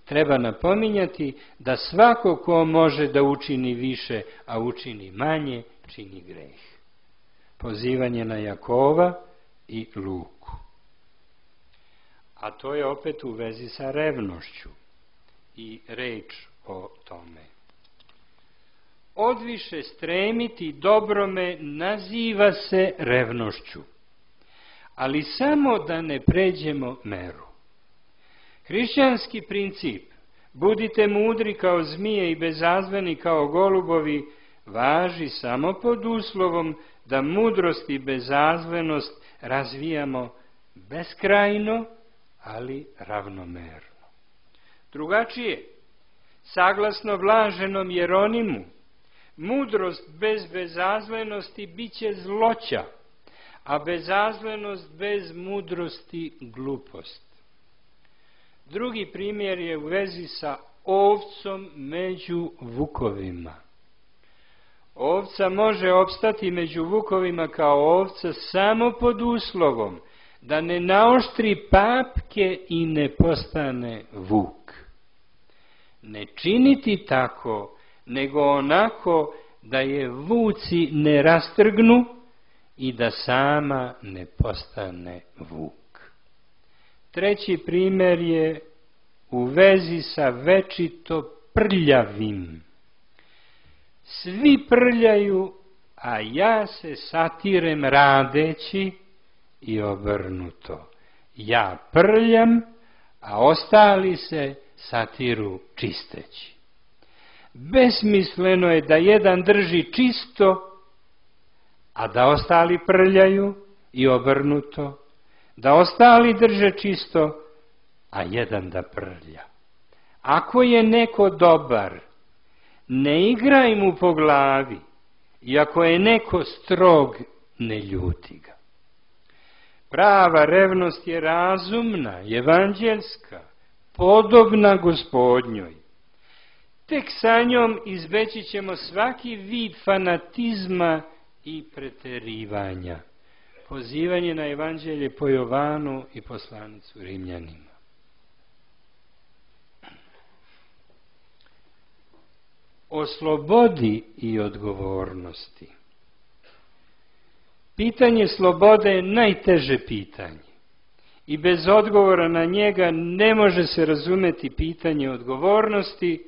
Treba napominjati da svako ko može da učini više, a učini manje, čini greh. Pozivanje na Jakova i Luku. A to je opet u vezi sa revnošću i reč o tome. Odviše stremiti dobrome naziva se revnošću, ali samo da ne pređemo meru. Hrišćanski princip, budite mudri kao zmije i bezazveni kao golubovi, važi samo pod uslovom da mudrost i bezazvenost razvijamo beskrajno, ali ravnomerno. Drugačije, saglasno blaženom Jeronimu, mudrost bez bezazlenosti bit će zloća, a bezazlenost bez mudrosti glupost. Drugi primjer je u vezi sa ovcom među vukovima. Ovca može opstati među vukovima kao ovca samo pod uslovom da ne naoštri papke i ne postane vuk. Ne činiti tako, nego onako da je vuci ne rastrgnu i da sama ne postane vuk. Treći primjer je u vezi sa večito prljavim. Svi prljaju, a ja se satirem radeći, i obrnuto. Ja prljam, a ostali se satiru čisteći. Besmisleno je da jedan drži čisto, a da ostali prljaju, i obrnuto. Da ostali drže čisto, a jedan da prlja. Ako je neko dobar, ne igraj mu po glavi, i ako je neko strog, ne ljuti ga. Prava revnost je razumna, evanđelska, podobna Gospodnjoj. Tek sa njom izbeći ćemo svaki vid fanatizma i preterivanja. Pozivanje na evanđelje po Jovanu i poslanicu Rimljanima. O slobodi i odgovornosti. Pitanje slobode je najteže pitanje i bez odgovora na njega ne može se razumeti pitanje odgovornosti,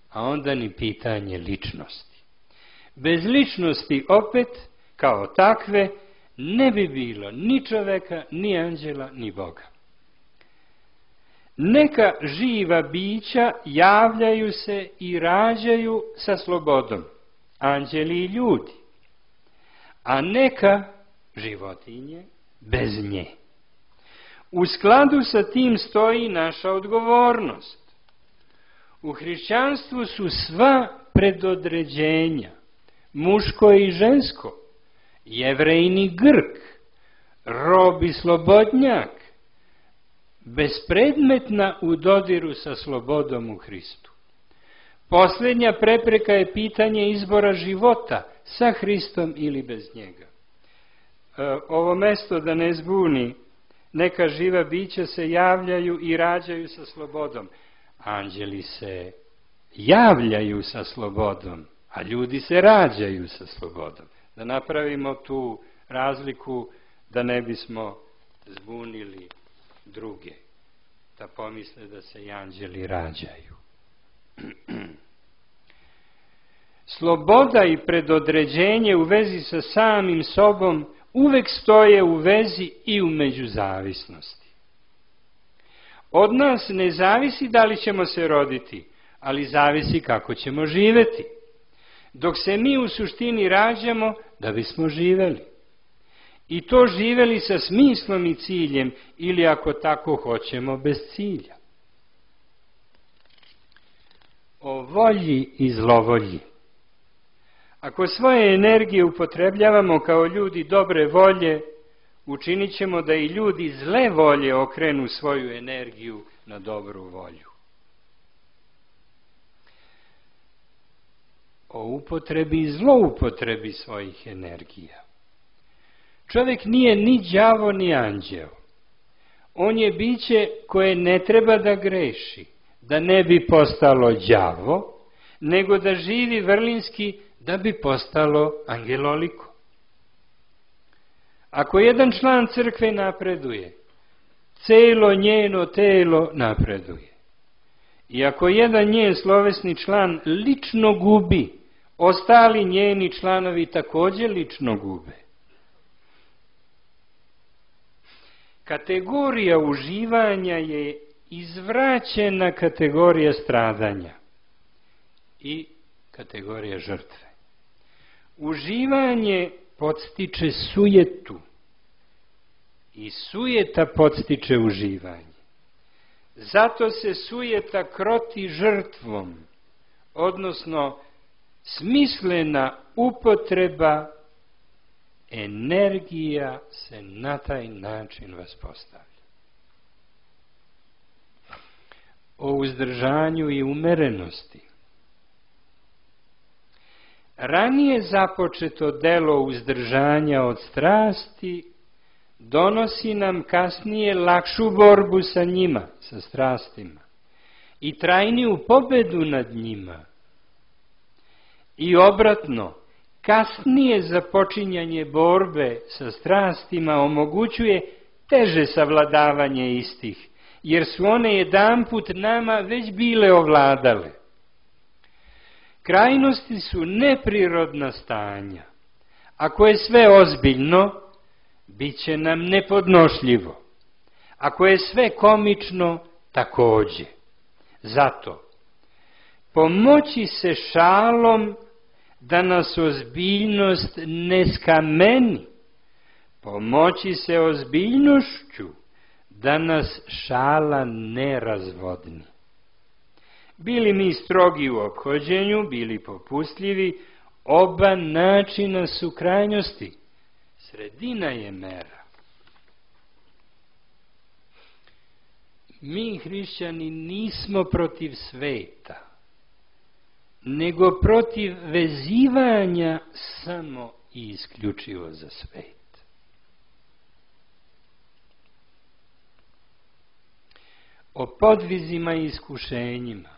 a onda ni pitanje ličnosti. Bez ličnosti opet, kao takve, ne bi bilo ni čoveka, ni anđela, ni Boga. Neka živa bića javljaju se i rađaju sa slobodom, anđeli i ljudi, a neka životinje bez nje. U skladu sa tim stoji naša odgovornost. U hrišćanstvu su sva predodređenja, muško i žensko, Jevrejni Grk, rob i slobodnjak, bespredmetna u dodiru sa slobodom u Hristu. Posljednja prepreka je pitanje izbora života sa Hristom ili bez njega. E, ovo mesto da ne zbuni, neka živa bića se javljaju i rađaju sa slobodom. Anđeli se javljaju sa slobodom, a ljudi se rađaju sa slobodom. Da napravimo tu razliku da ne bismo zbunili druge, da pomisle da se i anđeli rađaju. Sloboda i predodređenje u vezi sa samim sobom uvek stoje u vezi i u međuzavisnosti. Od nas ne zavisi da li ćemo se roditi, ali zavisi kako ćemo živeti. Dok se mi u suštini rađamo da bismo živeli. I to živeli sa smislom i ciljem, ili ako tako hoćemo, bez cilja. O volji i zlovolji. Ako svoje energije upotrebljavamo kao ljudi dobre volje, učinit ćemo da i ljudi zle volje okrenu svoju energiju na dobru volju. O upotrebi i zloupotrebi svojih energija. Čovjek nije ni đavo ni anđeo. On je biće koje ne treba da greši, da ne bi postalo đavo, nego da živi vrlinski da bi postalo angeloliko. Ako jedan član crkve napreduje, celo njeno telo napreduje. I ako jedan njen slovesni član lično gubi, ostali njeni članovi također lično gube. Kategorija uživanja je izvraćena kategorija stradanja i kategorija žrtve. Uživanje podstiče sujetu i sujeta podstiče uživanje. Zato se sujeta kroti žrtvom, odnosno smislena upotreba energija se na taj način vaspostavlja. O uzdržanju i umerenosti. Ranije započeto delo uzdržanja od strasti donosi nam kasnije lakšu borbu sa njima, sa strastima, i trajniju pobedu nad njima. I obratno, kasnije započinjanje borbe sa strastima omogućuje teže savladavanje istih, jer su one jedanput nama već bile ovladale. Krajnosti su neprirodna stanja. Ako je sve ozbiljno, bit će nam nepodnošljivo. Ako je sve komično, takođe. Zato, pomoći se šalom da nas ozbiljnost ne skameni, pomoći se ozbiljnošću da nas šala ne razvodni. Bili mi strogi u ophođenju, bili popustljivi, oba načina su krajnosti. Sredina je mera. Mi, hrišćani, nismo protiv sveta, nego protiv vezivanja samo i isključivo za svet. O podvizima i iskušenjima.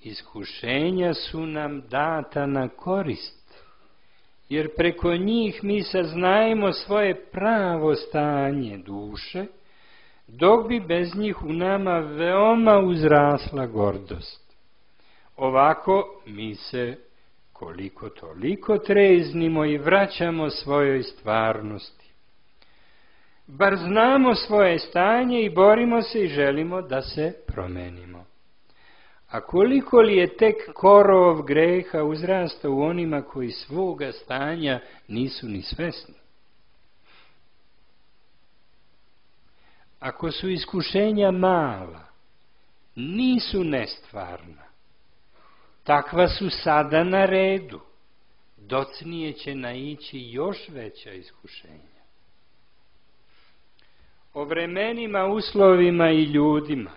Iskušenja su nam data na korist, jer preko njih mi saznajemo svoje pravo stanje duše, dok bi bez njih u nama veoma uzrasla gordost. Ovako mi se koliko toliko treznimo i vraćamo svojoj stvarnosti. Bar znamo svoje stanje i borimo se i želimo da se promenimo. A koliko li je tek korov greha uzrasta u onima koji svoga stanja nisu ni svesni? Ako su iskušenja mala, nisu nestvarna, takva su sada na redu, docnije će naići još veća iskušenja. O vremenima, uslovima i ljudima.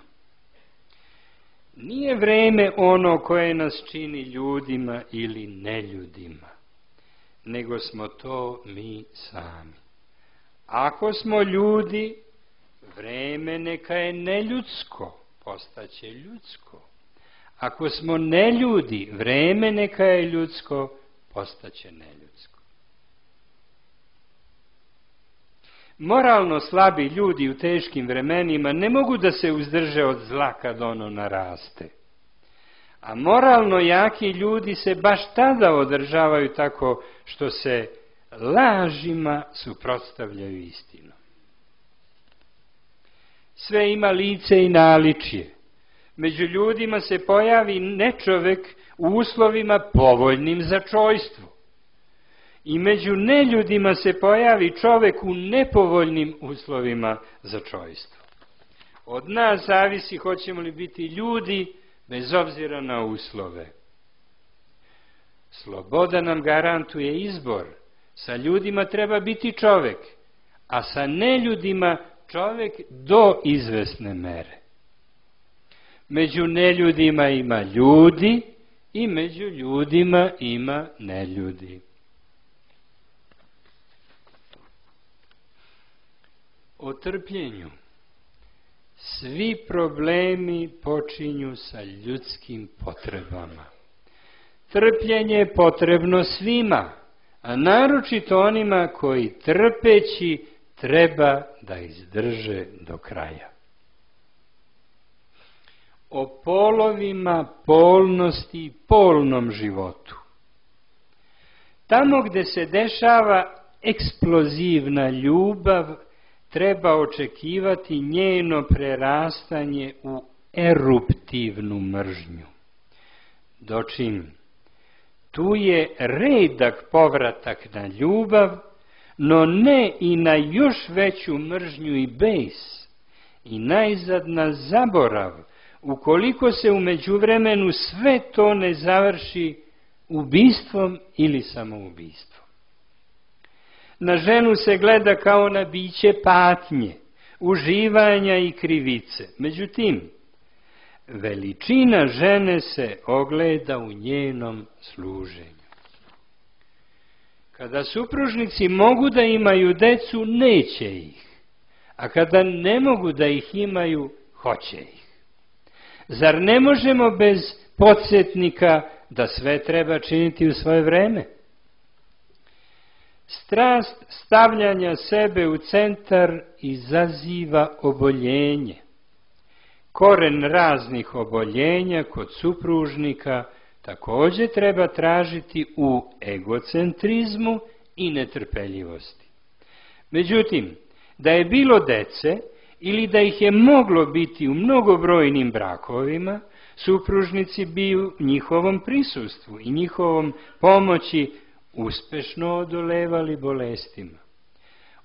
Nije vreme ono koje nas čini ljudima ili neljudima, nego smo to mi sami. Ako smo ljudi, vreme neka je neljudsko, postaće ljudsko. Ako smo neljudi, vreme neka je ljudsko, postaće neljudsko. Moralno slabi ljudi u teškim vremenima ne mogu da se uzdrže od zla kad ono naraste. A moralno jaki ljudi se baš tada održavaju tako što se lažima suprotstavljaju istinu. Sve ima lice i naličje. Među ljudima se pojavi nečovek u uslovima povoljnim za čojstvo. I među neljudima se pojavi čovek u nepovoljnim uslovima za čojstvo. Od nas zavisi hoćemo li biti ljudi bez obzira na uslove. Sloboda nam garantuje izbor. Sa ljudima treba biti čovek, a sa neljudima čovek do izvesne mere. Među neljudima ima ljudi i među ljudima ima neljudi. O trpljenju. Svi problemi počinju sa ljudskim potrebama. Trpljenje je potrebno svima, a naročito onima koji trpeći treba da izdrže do kraja. O polovima polnosti i polnom životu. Tamo gde se dešava eksplozivna ljubav, treba očekivati njeno prerastanje u eruptivnu mržnju. Dočim, tu je redak povratak na ljubav, no ne i na još veću mržnju i bes, i najzad na zaborav, ukoliko se u međuvremenu sve to ne završi ubistvom ili samoubistvom. Na ženu se gleda kao na biće patnje, uživanja i krivice. Međutim, veličina žene se ogleda u njenom služenju. Kada supružnici mogu da imaju decu, neće ih, a kada ne mogu da ih imaju, hoće ih. Zar ne možemo bez podsjetnika da sve treba činiti u svoje vreme? Strast stavljanja sebe u centar izaziva oboljenje. Koren raznih oboljenja kod supružnika također treba tražiti u egocentrizmu i netrpeljivosti. Međutim, da je bilo dece ili da ih je moglo biti u mnogobrojnim brakovima, supružnici bi u njihovom prisustvu i njihovom pomoći uspešno odolevali bolestima.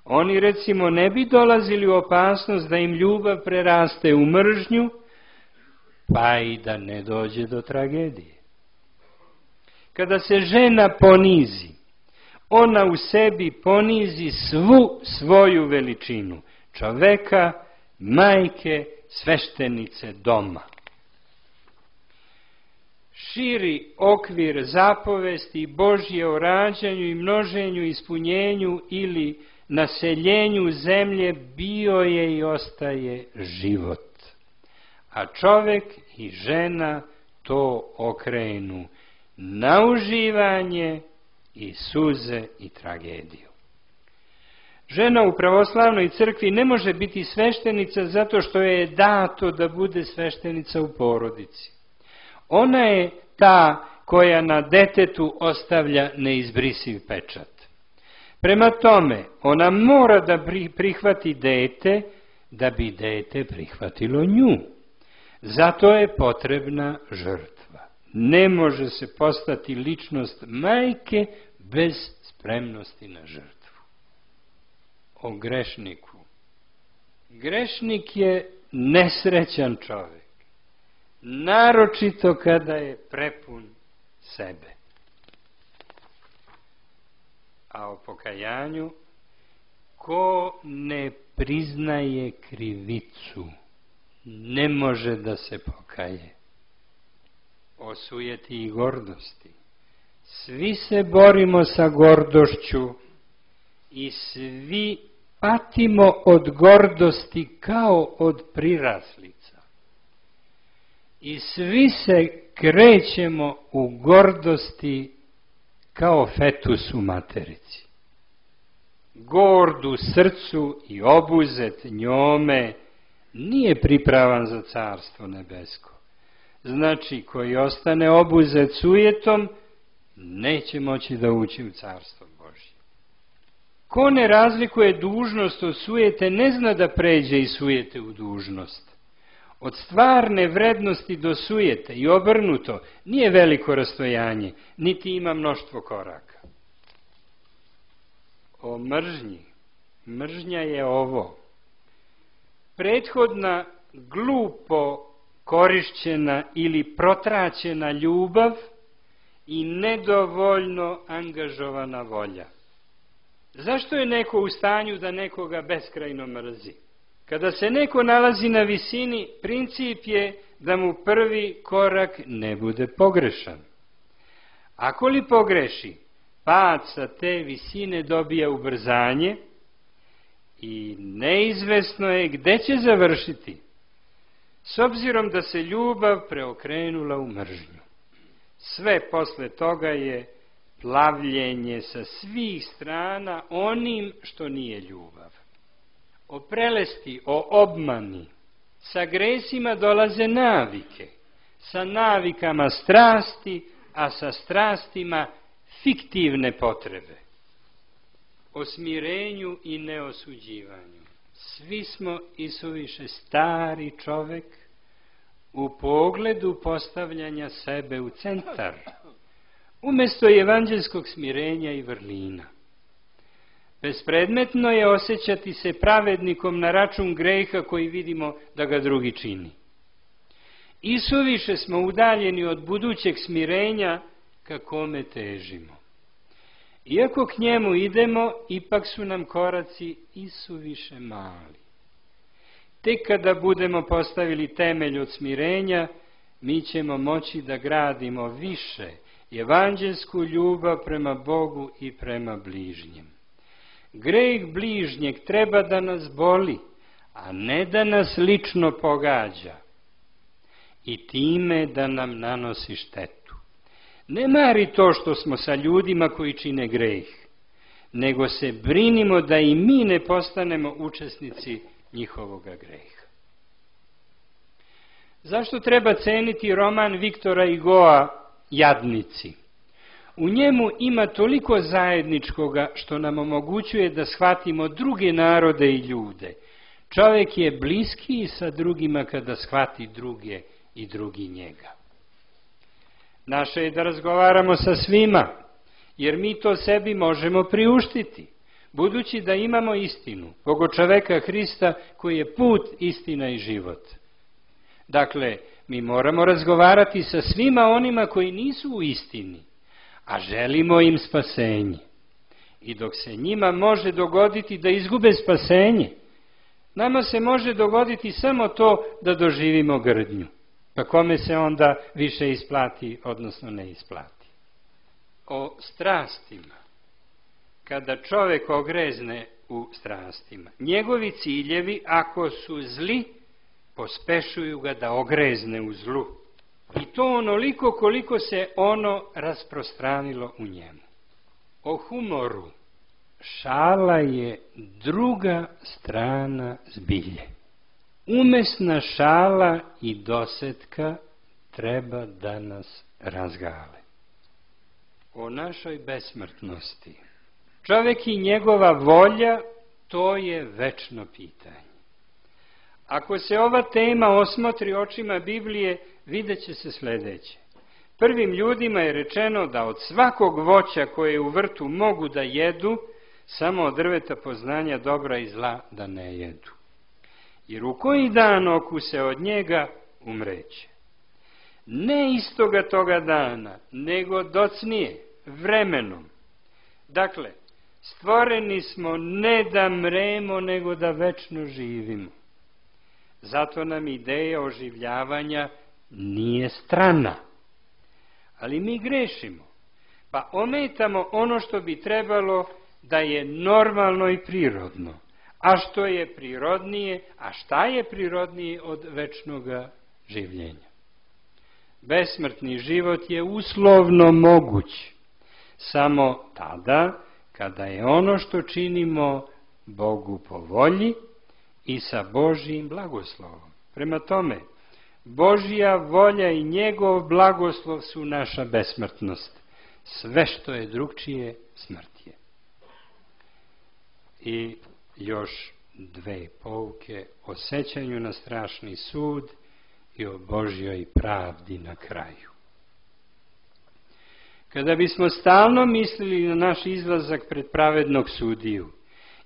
Oni recimo ne bi dolazili u opasnost da im ljubav preraste u mržnju, pa i da ne dođe do tragedije. Kada se žena ponizi, ona u sebi ponizi svu svoju veličinu, čoveka, majke, sveštenice doma. Širi okvir zapovesti Božje o rađanju i množenju, ispunjenju ili naseljenju zemlje bio je i ostaje život. A čovek i žena to okrenu na uživanje i suze i tragediju. Žena u pravoslavnoj crkvi ne može biti sveštenica zato što je dato da bude sveštenica u porodici. Ona je ta koja na detetu ostavlja neizbrisiv pečat. Prema tome, ona mora da prihvati dete da bi dete prihvatilo nju. Zato je potrebna žrtva. Ne može se postati ličnost majke bez spremnosti na žrtvu. O grešniku. Grešnik je nesrećan čovjek, naročito kada je prepun sebe. A o pokajanju, ko ne priznaje krivicu, ne može da se pokaje. O sujeti i gordosti. Svi se borimo sa gordošću i svi patimo od gordosti kao od priraslica. I svi se krećemo u gordosti kao fetus u materici. Gord u srcu i obuzet njome nije pripravan za carstvo nebesko. Znači, koji ostane obuzet sujetom, neće moći da ući u carstvo Božje. Ko ne razlikuje dužnost od sujete, ne zna da pređe iz sujete u dužnost. Od stvarne vrednosti do sujete i obrnuto nije veliko rastojanje, niti ima mnoštvo koraka. O mržnji. Mržnja je ovo. Prethodna glupo korišćena ili protraćena ljubav i nedovoljno angažovana volja. Zašto je neko u stanju da nekoga beskrajno mrzi? Kada se neko nalazi na visini, princip je da mu prvi korak ne bude pogrešan. Ako li pogreši, pad sa te visine dobija ubrzanje i neizvesno je gde će završiti, s obzirom da se ljubav preokrenula u mržnju. Sve posle toga je plavljenje sa svih strana onim što nije ljubav. O prelesti, o obmani, sa gresima dolaze navike, sa navikama strasti, a sa strastima fiktivne potrebe. O smirenju i neosuđivanju. Svi smo isuviše stari čovek u pogledu postavljanja sebe u centar, umjesto evanđelskog smirenja i vrlina. Bespredmetno je osjećati se pravednikom na račun greha koji vidimo da ga drugi čini. Isuviše smo udaljeni od budućeg smirenja ka kome težimo. Iako k njemu idemo, ipak su nam koraci isuviše mali. Tek kada budemo postavili temelj od smirenja, mi ćemo moći da gradimo više evanđelsku ljubav prema Bogu i prema bližnjem. Greh bližnjeg treba da nas boli, a ne da nas lično pogađa i time da nam nanosi štetu. Ne mari to što smo sa ljudima koji čine greh, nego se brinimo da i mi ne postanemo učesnici njihovoga greha. Zašto treba ceniti roman Viktora Hugoa Jadnici? U njemu ima toliko zajedničkoga što nam omogućuje da shvatimo druge narode i ljude. Čovjek je bliskiji sa drugima kada shvati druge i drugi njega. Naše je da razgovaramo sa svima, jer mi to sebi možemo priuštiti, budući da imamo istinu, Boga čoveka Hrista koji je put, istina i život. Dakle, mi moramo razgovarati sa svima onima koji nisu u istini, a želimo im spasenje. I dok se njima može dogoditi da izgube spasenje, nama se može dogoditi samo to da doživimo grdnju, pa kome se onda više isplati, odnosno ne isplati. O strastima. Kada čovjek ogrezne u strastima, njegovi ciljevi, ako su zli, pospešuju ga da ogrezne u zlu. I to onoliko koliko se ono rasprostranilo u njemu. O humoru. Šala je druga strana zbilje. Umesna šala i dosetka treba da nas razgale. O našoj besmrtnosti. Čovjek i njegova volja, to je večno pitanje. Ako se ova tema osmotri očima Biblije, vidjet će se sljedeće. Prvim ljudima je rečeno da od svakog voća koje u vrtu mogu da jedu, samo od drveta poznanja dobra i zla da ne jedu. Jer u koji dan okuse od njega, umreće. Ne istoga toga dana, nego docnije, vremenom. Dakle, stvoreni smo ne da mremo, nego da večno živimo. Zato nam ideja oživljavanja nije strana. Ali mi grešimo, pa ometamo ono što bi trebalo da je normalno i prirodno. A što je prirodnije, a šta je prirodnije od večnoga življenja? Besmrtni život je uslovno moguć, samo tada kada je ono što činimo Bogu po volji i sa Božjim blagoslovom. Prema tome, Božja volja i njegov blagoslov su naša besmrtnost. Sve što je drugčije, smrt je. I još dve pouke o sećanju na strašni sud i o Božjoj pravdi na kraju. Kada bismo stalno mislili na naš izlazak pred pravednog sudiju,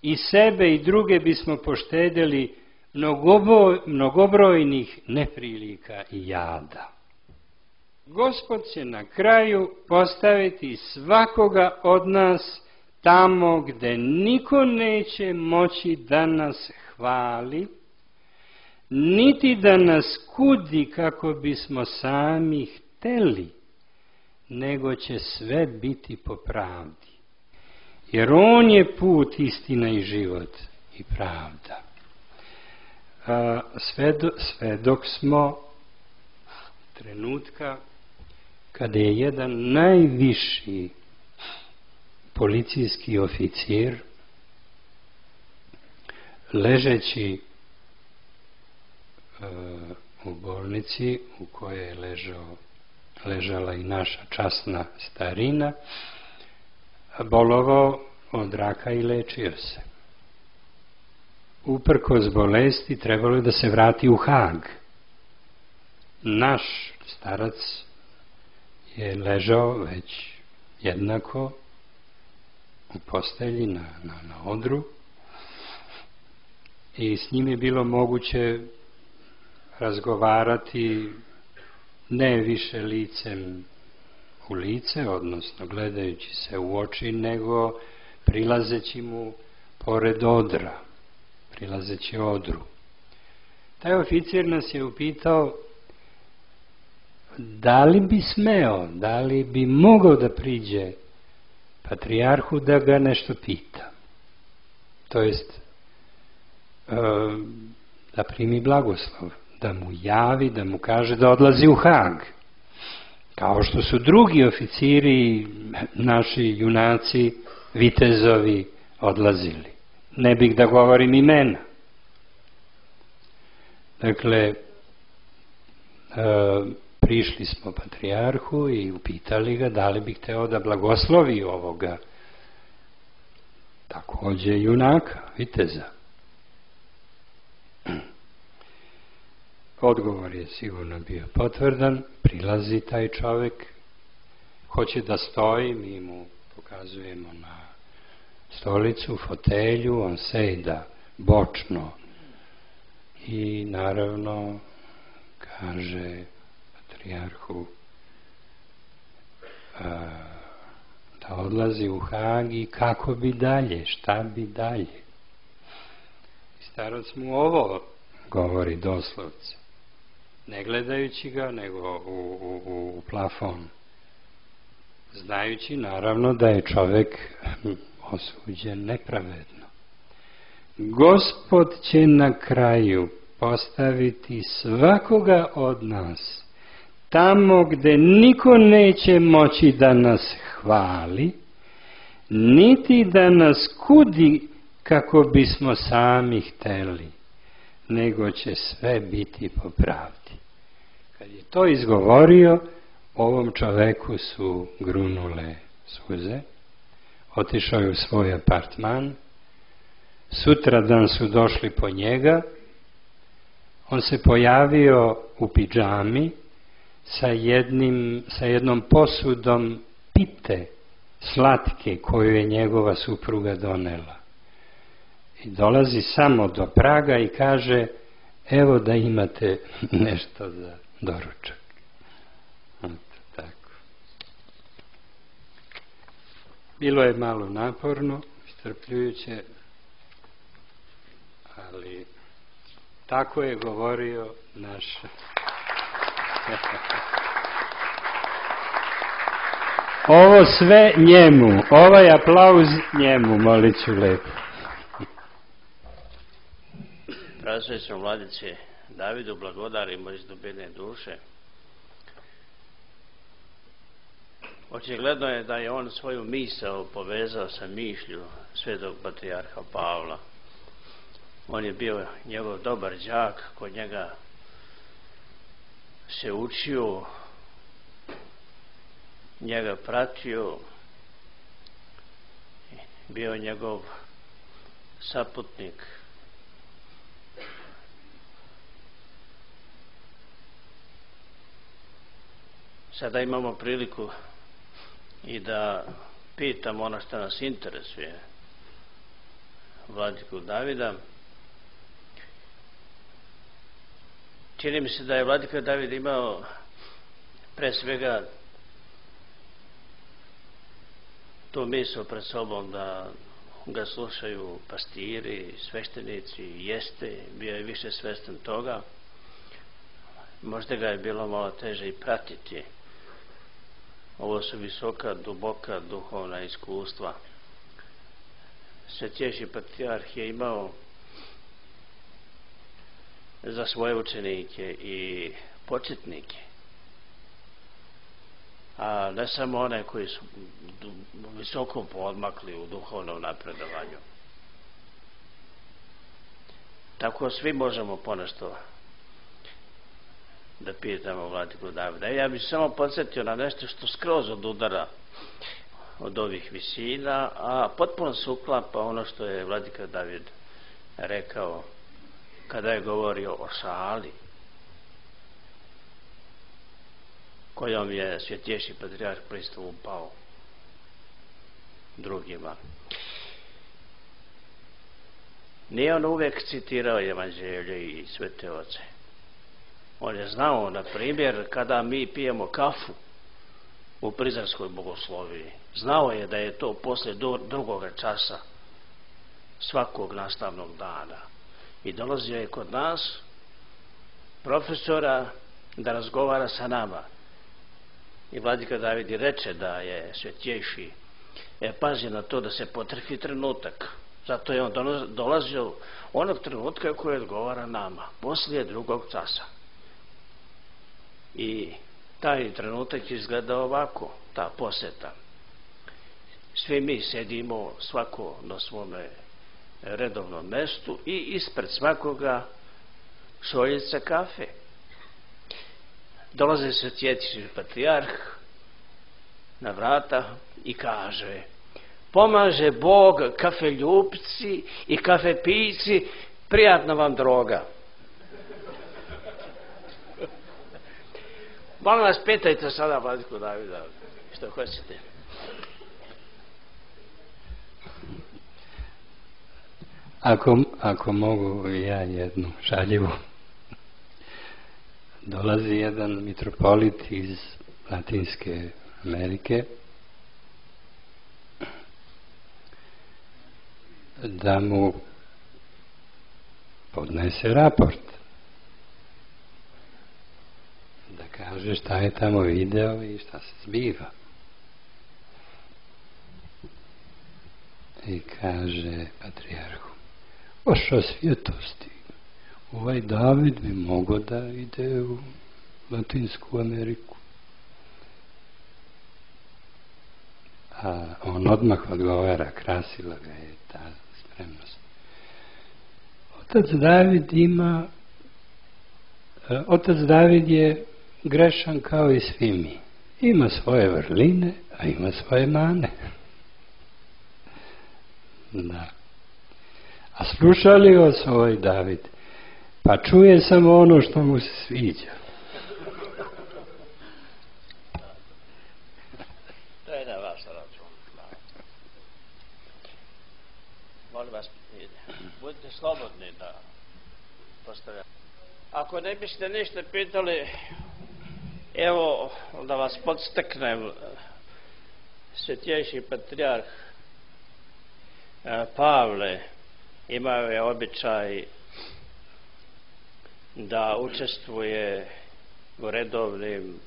i sebe i druge bismo poštedjeli mnogobo, mnogobrojnih neprilika i jada. Gospod će na kraju postaviti svakoga od nas tamo gde niko neće moći da nas hvali, niti da nas kudi kako bismo sami hteli, nego će sve biti po pravdi. Jer on je put, istina i život i pravda. A, sve, do, sve dok smo trenutka kada je jedan najviši policijski oficir ležeći uh, u bolnici u kojoj je ležao, ležala i naša časna starina, bolovao od raka i lečio se. Uprkos bolesti trebalo je da se vrati u Hag. Naš starac je ležao već jednako u u postelji na, na, na odru i s njim je bilo moguće razgovarati ne više licem u lice, odnosno gledajući se u oči, nego prilazeći mu pored odra, prilazeći odru. Taj oficir nas je upitao da li bi smeo, da li bi mogao da priđe patrijarhu da ga nešto pita. To jest da primi blagoslov, da mu javi, da mu kaže da odlazi u Hag. Kao što su drugi oficiri, naši junaci, vitezovi odlazili. Ne bih da govorim imena. Dakle, prišli smo patrijarhu i upitali ga da li bi hteo da blagoslovi ovoga takođe junaka, viteza. Odgovor je sigurno bio potvrdan, prilazi taj čovek, hoće da stoji, mi mu pokazujemo na stolicu, fotelju, on sejda bočno i naravno kaže patrijarhu da odlazi u Hag i kako bi dalje, šta bi dalje. I starac mu ovo govori doslovce, ne gledajući ga, nego u, u, u plafon, znajući naravno da je čovek osuđen nepravedno. Gospod će na kraju postaviti svakoga od nas tamo gde niko neće moći da nas hvali, niti da nas kudi kako bismo sami hteli, nego će sve biti po pravdi. Kad je to izgovorio, ovom čoveku su grunule suze, otišao je u svoj apartman, sutradan su došli po njega, on se pojavio u pidžami sa, jednim, sa jednom posudom pite slatke koju je njegova supruga donela. I dolazi samo do praga i kaže, evo da imate nešto za doručak. Eto, tako. Bilo je malo naporno, iscrpljujuće, ali tako je govorio naš ovo sve njemu, ovaj aplauz njemu, molit ću lepo. Pravosvećnom vladici Davidu blagodarimo iz dubine duše. Očigledno je da je on svoju misao povezao sa mišlju svetog patrijarha Pavla. On je bio njegov dobar đak, kod njega se učio, njega pratio, bio njegov saputnik. Sada imamo priliku i da pitamo ono što nas interesuje vladiku Davida. Čini mi se da je vladika David imao pre svega tu misao pred sobom da ga slušaju pastiri, sveštenici, jeste, bio je više svestan toga. Možda ga je bilo malo teže i pratiti. Ovo su visoka, duboka duhovna iskustva. Svetjejši patrijarh je imao za svoje učenike i početnike, a ne samo one koji su visoko podmakli u duhovnom napredovanju. Tako svi možemo ponešto da pitamo vladiku Davida. Ja bih samo podsjetio na nešto što skroz od udara od ovih visina, a potpuno se uklapa ono što je vladika David rekao kada je govorio o šali kojom je svetjejši patrijarh pristupao drugima. Nije on uvijek citirao evanđelje i svete oce. On je znao, na primjer, kada mi pijemo kafu u Prizrenskoj bogosloviji, znao je da je to poslije drugoga časa svakog nastavnog dana. I dolazio je kod nas profesora da razgovara sa nama. I vladika David reče da je svetjejši e, pazi na to da se potrefi trenutak. Zato je on dolazio onog trenutka koji odgovara nama, poslije drugog časa. I taj trenutak izgleda ovako, ta poseta. Svi mi sedimo svako na svome redovnom mestu i ispred svakoga šoljica kafe. Dolazi se svjetski patrijarh na vrata i kaže: pomaže Bog kafeljupci i kafepijci, prijatna vam droga. Molim vas, pitajte sada vladiku Davida što hoćete. Ako, ako mogu ja jednu šaljivu. Dolazi jedan mitropolit iz Latinske Amerike da mu podnese raport, da kaže šta je tamo video i šta se zbiva. I kaže patrijarhu: vaša svjetosti, ovaj David bi mogao da ide u Latinsku Ameriku. A on odmah odgovara, krasila ga je ta spremnost. Otac David ima, otac David je grešan kao i svi mi. Ima svoje vrline, a ima svoje mane. Da. A sluša li vas ovaj David? Pa čuje samo ono što mu se sviđa. To je na vaš račun. Molim vas, budite slobodni da postavljate. Ako ne biste ništa pitali, evo da vas podstaknem. Svetjejši patrijarh Pavle imao je običaj da učestvuje u redovnim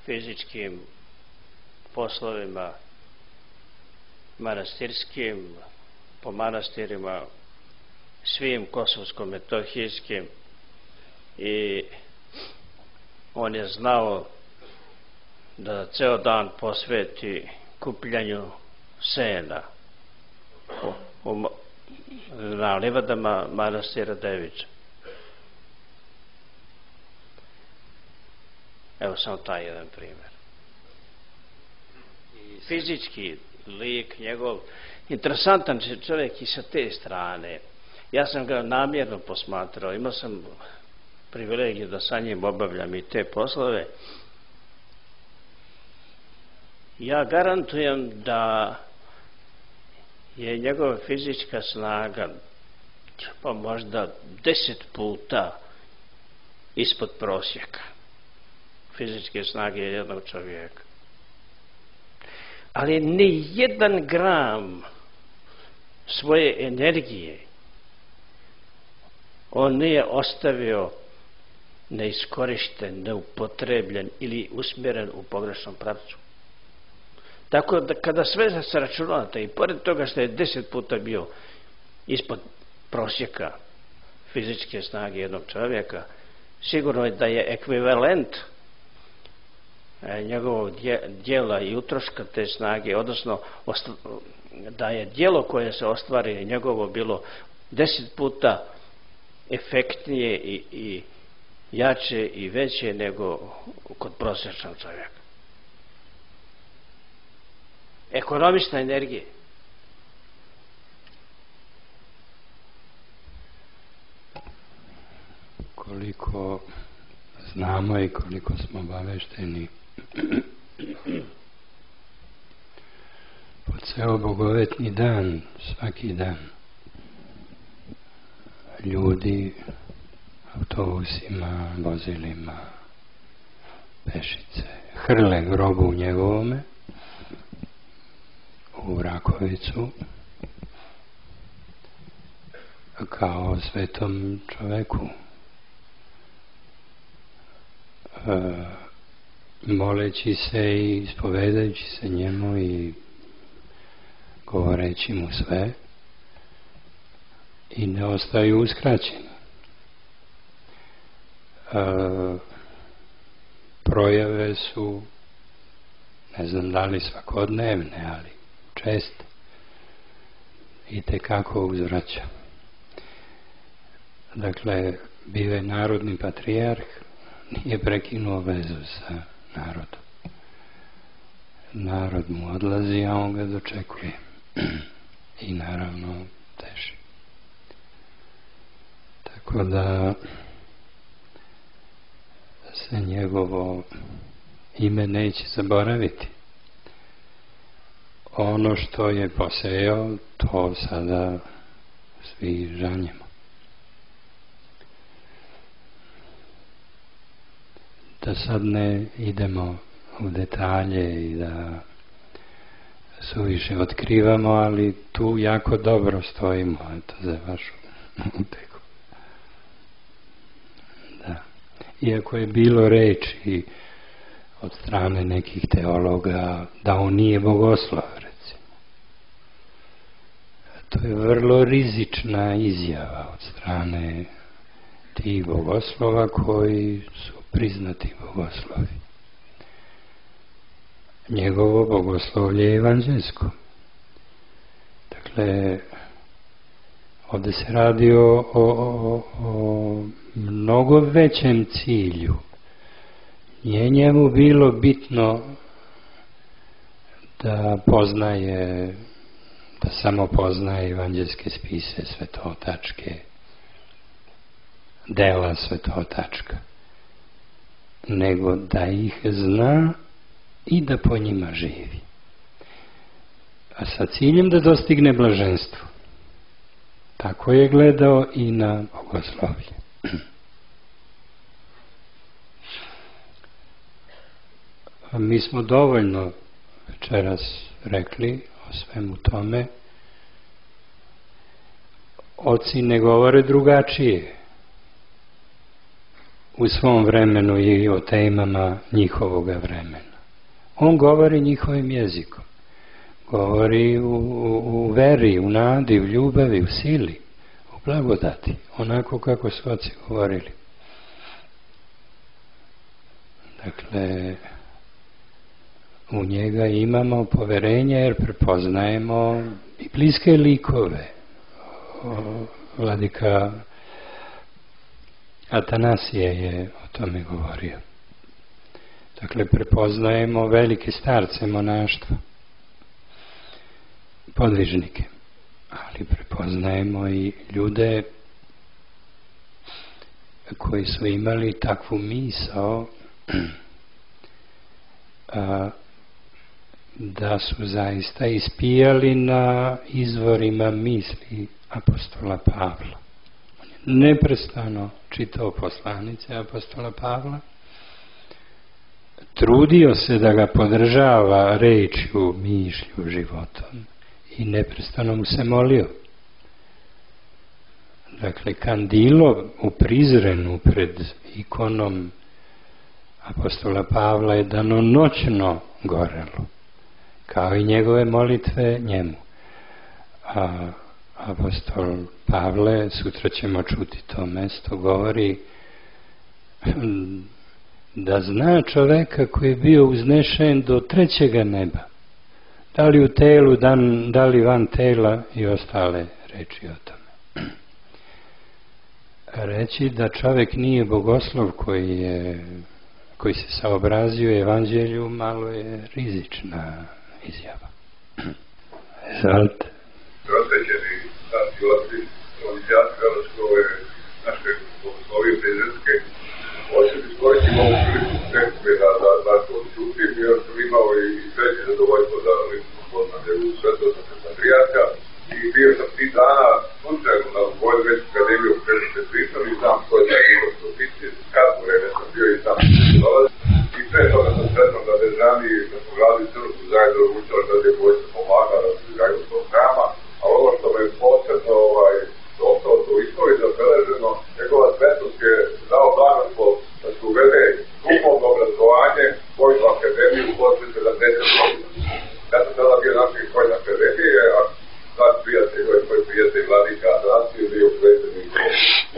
fizičkim poslovima manastirskim, po manastirima svim kosovsko-metohijskim, i on je znao da ceo dan posveti kupljanju sena u, u, na livadama manastira Devića. Evo samo taj jedan primjer. I fizički lik njegov, interesantan čovjek i sa te strane. Ja sam ga namjerno posmatrao, imao sam privilegiju da sa njim obavljam i te poslove. Ja garantujem da je njegova fizička snaga pa možda deset puta ispod prosjeka fizičke snage jednog čovjeka. Ali ni jedan gram svoje energije on nije ostavio neiskorišten, neupotrebljen ili usmjeren u pogrešnom pravcu. Tako da kada sve se računate i pored toga što je deset puta bio ispod prosjeka fizičke snage jednog čovjeka, sigurno je da je ekvivalent njegovog djela i utroška te snage, odnosno da je djelo koje se ostvari njegovo bilo deset puta efektnije i, i jače i veće nego kod prosječnog čovjeka. Ekonomična energija. Koliko znamo i koliko smo obavešteni, pod se obogovetni dan, svaki dan. Ljudi autobusima, vozilima, pešice, hrle grobu njegovome u Rakovicu kao svetom čoveku, e, moleći se i ispovedajući se njemu i govoreći mu sve, i ne ostaju uskraćeni. E, projave su, ne znam da li svakodnevne, ali česte, i tekako uzvraća. Dakle, bio je narodni patrijarh, nije prekinuo vezu sa narodom. Narod mu odlazi, a on ga dočekuje. I naravno teži. Tako da se njegovo ime neće zaboraviti. Ono što je posejao, to sada svi žanjemo. Da sad ne idemo u detalje i da suviše otkrivamo, ali tu jako dobro stojimo, eto, za vašu uteku. Da. Iako je bilo reči od strane nekih teologa da on nije bogoslov, recimo. To je vrlo rizična izjava od strane tih bogoslova koji su priznati bogoslovi. Njegovo bogoslovlje je evanđelsko. Dakle, ovdje se radi o, o, o, o mnogo većem cilju. Nije njemu bilo bitno da poznaje, da samo poznaje evanđelske spise, svetotačke, dela svetotačka, nego da ih zna i da po njima živi. A sa ciljem da dostigne blaženstvo. Tako je gledao i na bogoslovlje. Mi smo dovoljno večeras rekli o svemu tome. Oci ne govore drugačije u svom vremenu i o temama njihovoga vremena. On govori njihovim jezikom. Govori u, u, u veri, u nadi, u ljubavi, u sili, u blagodati. Onako kako su oci govorili. Dakle, u njega imamo poverenje jer prepoznajemo i bliske likove. Vladika Atanasije je o tome govorio. Dakle, prepoznajemo velike starce monaštva, podvižnike, ali prepoznajemo i ljude koji su imali takvu misao a, da su zaista ispijali na izvorima misli apostola Pavla. On je neprestano čitao poslanice apostola Pavla, trudio se da ga podržava rečju, mišlju, životom i neprestano mu se molio. Dakle, kandilo u Prizrenu pred ikonom apostola Pavla je danonoćno gorelo, kao i njegove molitve njemu. A apostol Pavle, sutra ćemo čuti to mesto, govori da zna čoveka koji je bio uznešen do trećega neba, da li u telu, dan, da li van tela, i ostale reči o tome. Reći da čovek nije bogoslov koji je koji se saobrazio evanđelju, malo je rizična izjava. Izvolite. Prosvećeni starci otci, ovdjati Hrvatskove naše bogoslovije prizretske, hoću iskoristiti ovu priliku nekome da vas odčutim, jer sam imao i sreće zadovoljstvo da gospodina Svetosavskog patrijarha i bio sam tih dana slučajno na Vojvođansku akademiju kada ste pričali, znam ko je taj Igor Stopiti, kratko vreme sam bio i sam dolazi. I pre toga sam sretnom da Dežani, da smo gradili crkvu zajedno učali da je Vojska pomagala da se izgradili tog hrama, a ono što me je posebno ovaj, ostalo to istoriji zabeleženo, njegova svetost je dao blagoslov da se uvede duhovno obrazovanje Vojnu akademiju posle sedamdeset godina. Ja sam tada bio naših Vojne akademije, a sad prijatelj, koji prijatelj Vladika Atanasije bio predsjednik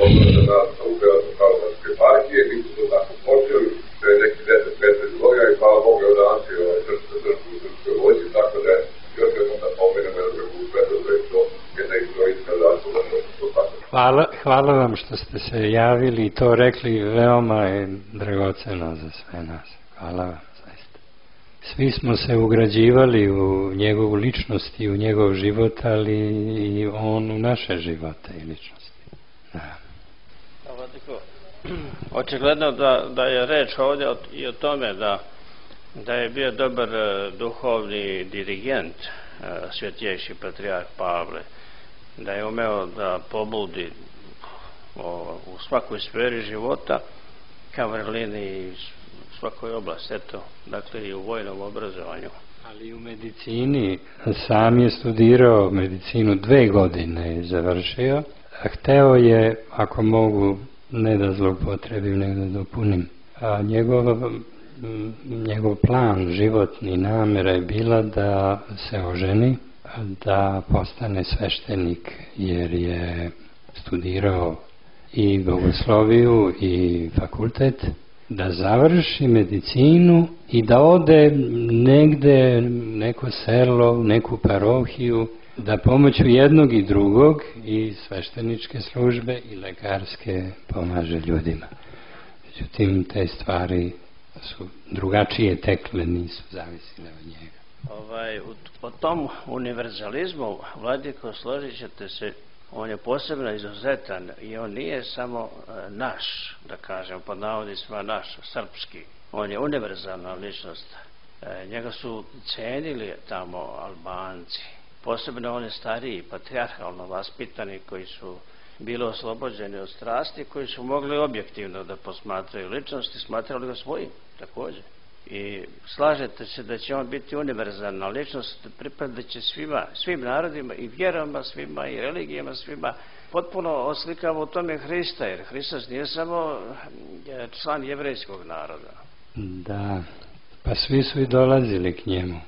odbora za nauke Pravoslavne partije, mi su to tako počeli, to je neki deset petnaest godina i hvala Bogu je Atanasije ovaj srpske crkve u srpskoj vojsci, tako da još jednom da pomenemo da je u svetu da je to jedna istorijska zasluga da se to tako. Hvala, hvala vam što ste se javili i to rekli, veoma je dragoceno za sve nas. Hvala vam, zaista. Svi smo se ugrađivali u njegovu ličnost i u njegov život, ali i on u naše živote i ličnosti. Da. Očigledno da, da je reč ovdje i o tome da, da je bio dobar duhovni dirigent Svetjejši patrijarh Pavle, da je umeo da pobudi o, u svakoj sferi života ka vrlini i u svakoj oblasti, eto, dakle i u vojnom obrazovanju. Ali i u medicini, sam je studirao medicinu, dve godine je završio, a hteo je, ako mogu, ne da zloupotrebim, nego da dopunim, a njegov, njegov plan, životni namera je bila da se oženi, da postane sveštenik, jer je studirao i bogosloviju i fakultet, da završi medicinu i da ode negde, neko selo, neku parohiju, da pomoću jednog i drugog i svešteničke službe i lekarske pomaže ljudima. Međutim, te stvari su drugačije tekle, nisu zavisile od njega. Ovaj, u, o tom univerzalizmu, Vladiko, složit ćete se, on je posebno izuzetan i on nije samo e, naš, da kažem, pod navodnicima naš, srpski. On je univerzalna ličnost. E, njega su cenili tamo Albanci. Posebno oni stariji, patrijarhalno vaspitani, koji su bili oslobođeni od strasti, koji su mogli objektivno da posmatraju ličnosti, smatrali ga svojim također. I slažete se da će on biti univerzalna ličnost, pripadat će svima, svim narodima i vjerama svima i religijama svima. Potpuno oslikava u tome Hrista, jer Hristos nije samo član jevrejskog naroda. Da, pa svi su i dolazili k njemu.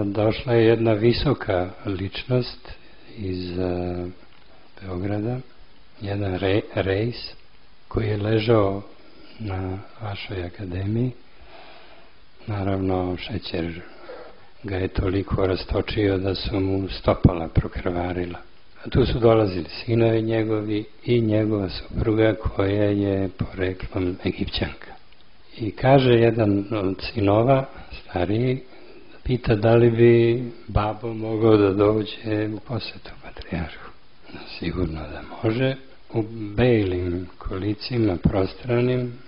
Došla je jedna visoka ličnost iz Beograda, jedan rej, rejs koji je ležao na vašoj akademiji. Naravno, šećer ga je toliko rastočio da su mu stopala prokrvarila. A tu su dolazili sinovi njegovi i njegova supruga koja je poreklom Egipćanka. I kaže jedan od sinova, stariji, pita da li bi babo mogao da dođe u posetu patrijarhu. Sigurno da može. U belim kolicima prostranim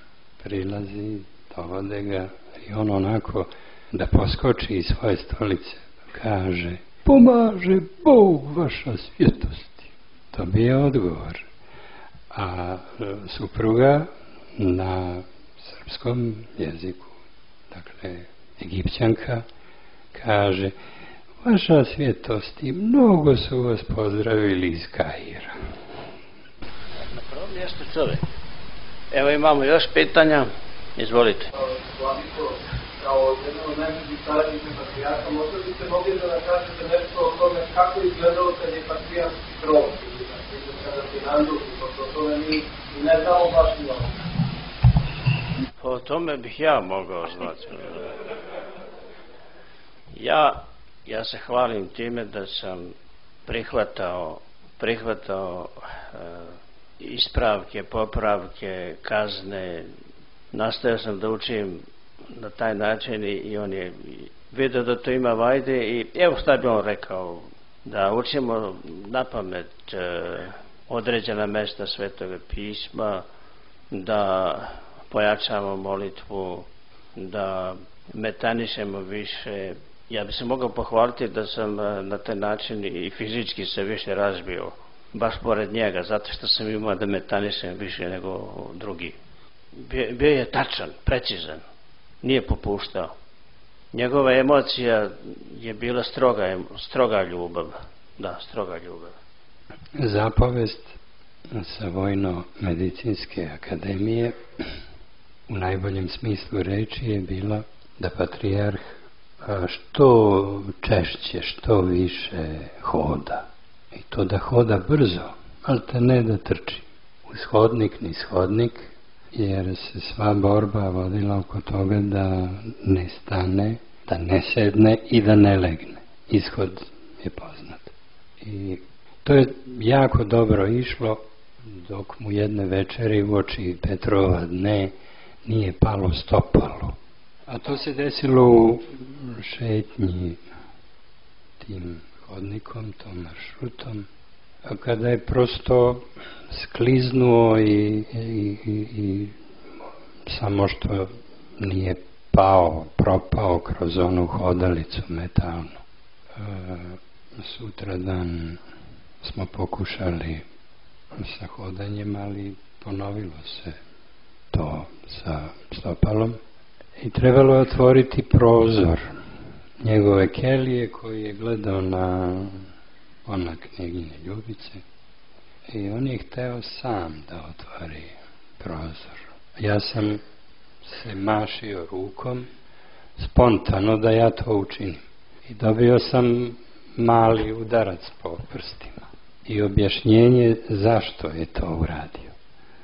prilazi, dovode ga i on onako da poskoči iz svoje stolice. Kaže, pomaže Bog vaša svjetosti. To bi je odgovor. A supruga na srpskom jeziku, dakle Egipćanka, kaže, vaša svjetosti, mnogo su vas pozdravili iz Kaira. Na prvom mjestu čovjek. Evo imamo još pitanja. Izvolite. Vladiko, kao jedan od najboljih saradnika patrijarha, možda biste mogli da nam kažete nešto o tome kako je izgledalo kad je patrijarh tron, kada se nanduši, pošto o tome mi ne znamo baš mnogo. O tome bih ja mogao znati. Ja, ja se hvalim time da sam prihvatao, prihvatao e, ispravke, popravke, kazne. Nastojao sam da učim na taj način i on je vidio da to ima vajde i evo šta bi on rekao, da učimo na pamet e, određena mesta Svetoga pisma, da pojačamo molitvu, da metanišemo više Ja bi se mogao pohvaliti da sam na taj način i fizički se više razbio, baš pored njega, zato što sam imao da metanišem više nego drugi. Bio je tačan, precizan, nije popuštao. Njegova emocija je bila stroga, stroga ljubav. Da, stroga ljubav. Zapovest sa Vojno-medicinske akademije u najboljem smislu reči je bila da patrijarh što češće, što više hoda. I to da hoda brzo, ali te ne da trči. Uz hodnik, niz hodnik, jer se sva borba vodila oko toga da ne stane, da ne sedne i da ne legne. Ishod je poznat. I to je jako dobro išlo dok mu jedne večeri u oči Petrova dne nije palo stopalo. A to se desilo u šetnji tim hodnikom, tom maršrutom, kada je prosto skliznuo i, i, i, i samo što nije pao, propao kroz onu hodalicu metalnu. E, sutradan smo pokušali sa hodanjem, ali ponovilo se to sa stopalom i trebalo je otvoriti prozor njegove kelije koji je gledao na ona knjegine Ljubice i on je hteo sam da otvori prozor. Ja sam se mašio rukom spontano da ja to učinim i dobio sam mali udarac po prstima i objašnjenje zašto je to uradio.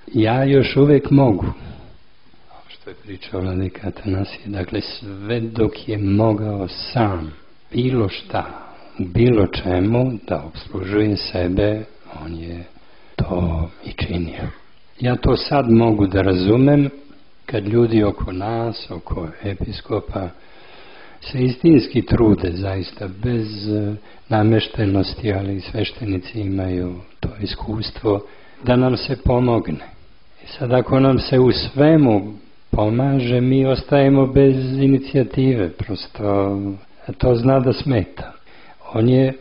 Ja još uvek mogu, što je pričao vladika Atanasije, dakle sve dok je mogao sam bilo šta u bilo čemu da obslužuje sebe, on je to i činio. Ja to sad mogu da razumem kad ljudi oko nas, oko episkopa se istinski trude zaista bez nameštenosti, ali sveštenici imaju to iskustvo da nam se pomogne. I sad ako nam se u svemu pomaže, mi ostajemo bez inicijative, prosto to zna da smeta. On je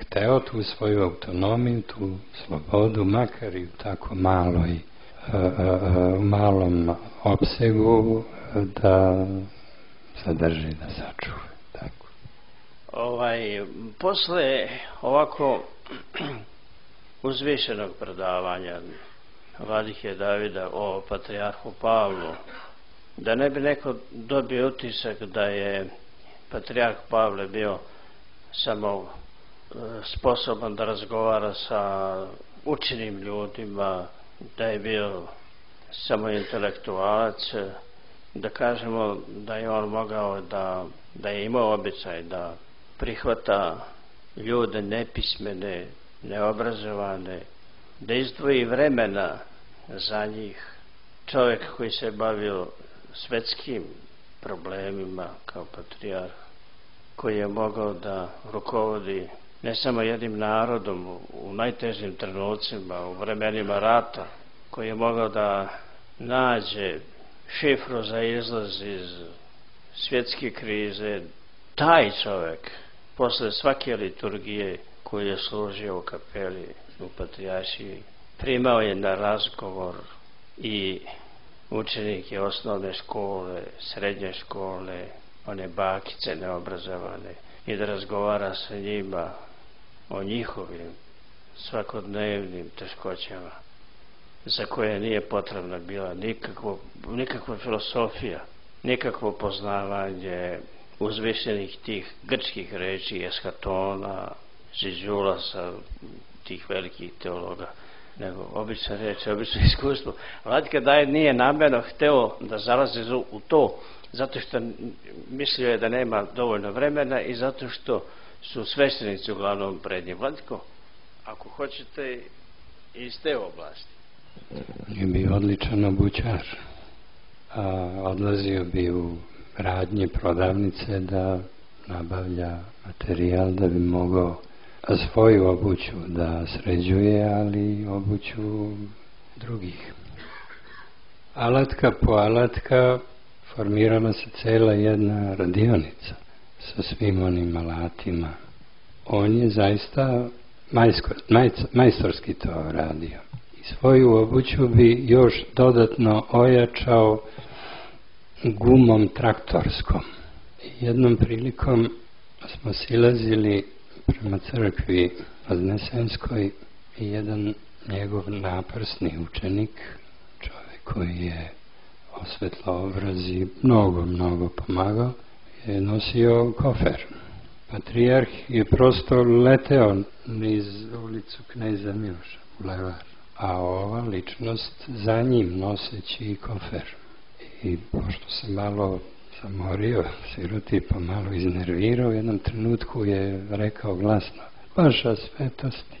hteo tu svoju autonomiju, tu slobodu, makar i u tako maloj, u malom opsegu da sadrži, da sačuva. Tako. Ovaj, posle ovako uzvišenog predavanja vladike Davida o patrijarhu Pavlu, da ne bi neko dobio utisak da je patrijarh Pavle bio samo sposoban da razgovara sa učenim ljudima, da je bio samo intelektualac, da kažemo da je on mogao da, da je imao običaj da prihvata ljude nepismene, neobrazovane, da izdvoji vremena za njih. Čovjek koji se bavio svetskim problemima kao patrijarh, koji je mogao da rukovodi ne samo jednim narodom u najtežim trenucima, u vremenima rata, koji je mogao da nađe šifru za izlaz iz svjetske krize. Taj čovjek posle svake liturgije koju je služio u kapeli u Patrijaršiji primao je na razgovor i učenike osnovne škole, srednje škole, one bakice neobrazovane, i da razgovara sa njima o njihovim svakodnevnim teškoćama, za koje nije potrebna bila nikakvo, nikakva filosofija, nikakvo poznavanje uzvišenih tih grčkih reči, eskatona, Žižulasa, tih velikih teologa, nego obična reč, obično iskustvo. Vladika David nije namerno hteo da zalazi u to, zato što mislio je da nema dovoljno vremena i zato što su sveštenici uglavnom pred njim. Vladiko, ako hoćete iz te oblasti. Je bio odličan obućar. A, odlazio bi u radnje, prodavnice da nabavlja materijal da bi mogao svoju obuću da sređuje, ali obuću drugih. Alatka po alatka formirala se cela jedna radionica sa svim onim alatima. On je zaista majskor, maj, majstorski to radio. I svoju obuću bi još dodatno ojačao gumom traktorskom. I jednom prilikom smo silazili prema crkvi Vaznesenskoj i jedan njegov naprsni učenik, čovjek koji je osvetlao obraz i mnogo, mnogo pomagao, je nosio kofer. Patrijarh je prosto leteo niz ulicu Kneza Miloša, bulevar, a ova ličnost za njim noseći kofer. I pošto se malo zamorio, siroti pa malo iznervirao, u jednom trenutku je rekao glasno: vaša svetosti,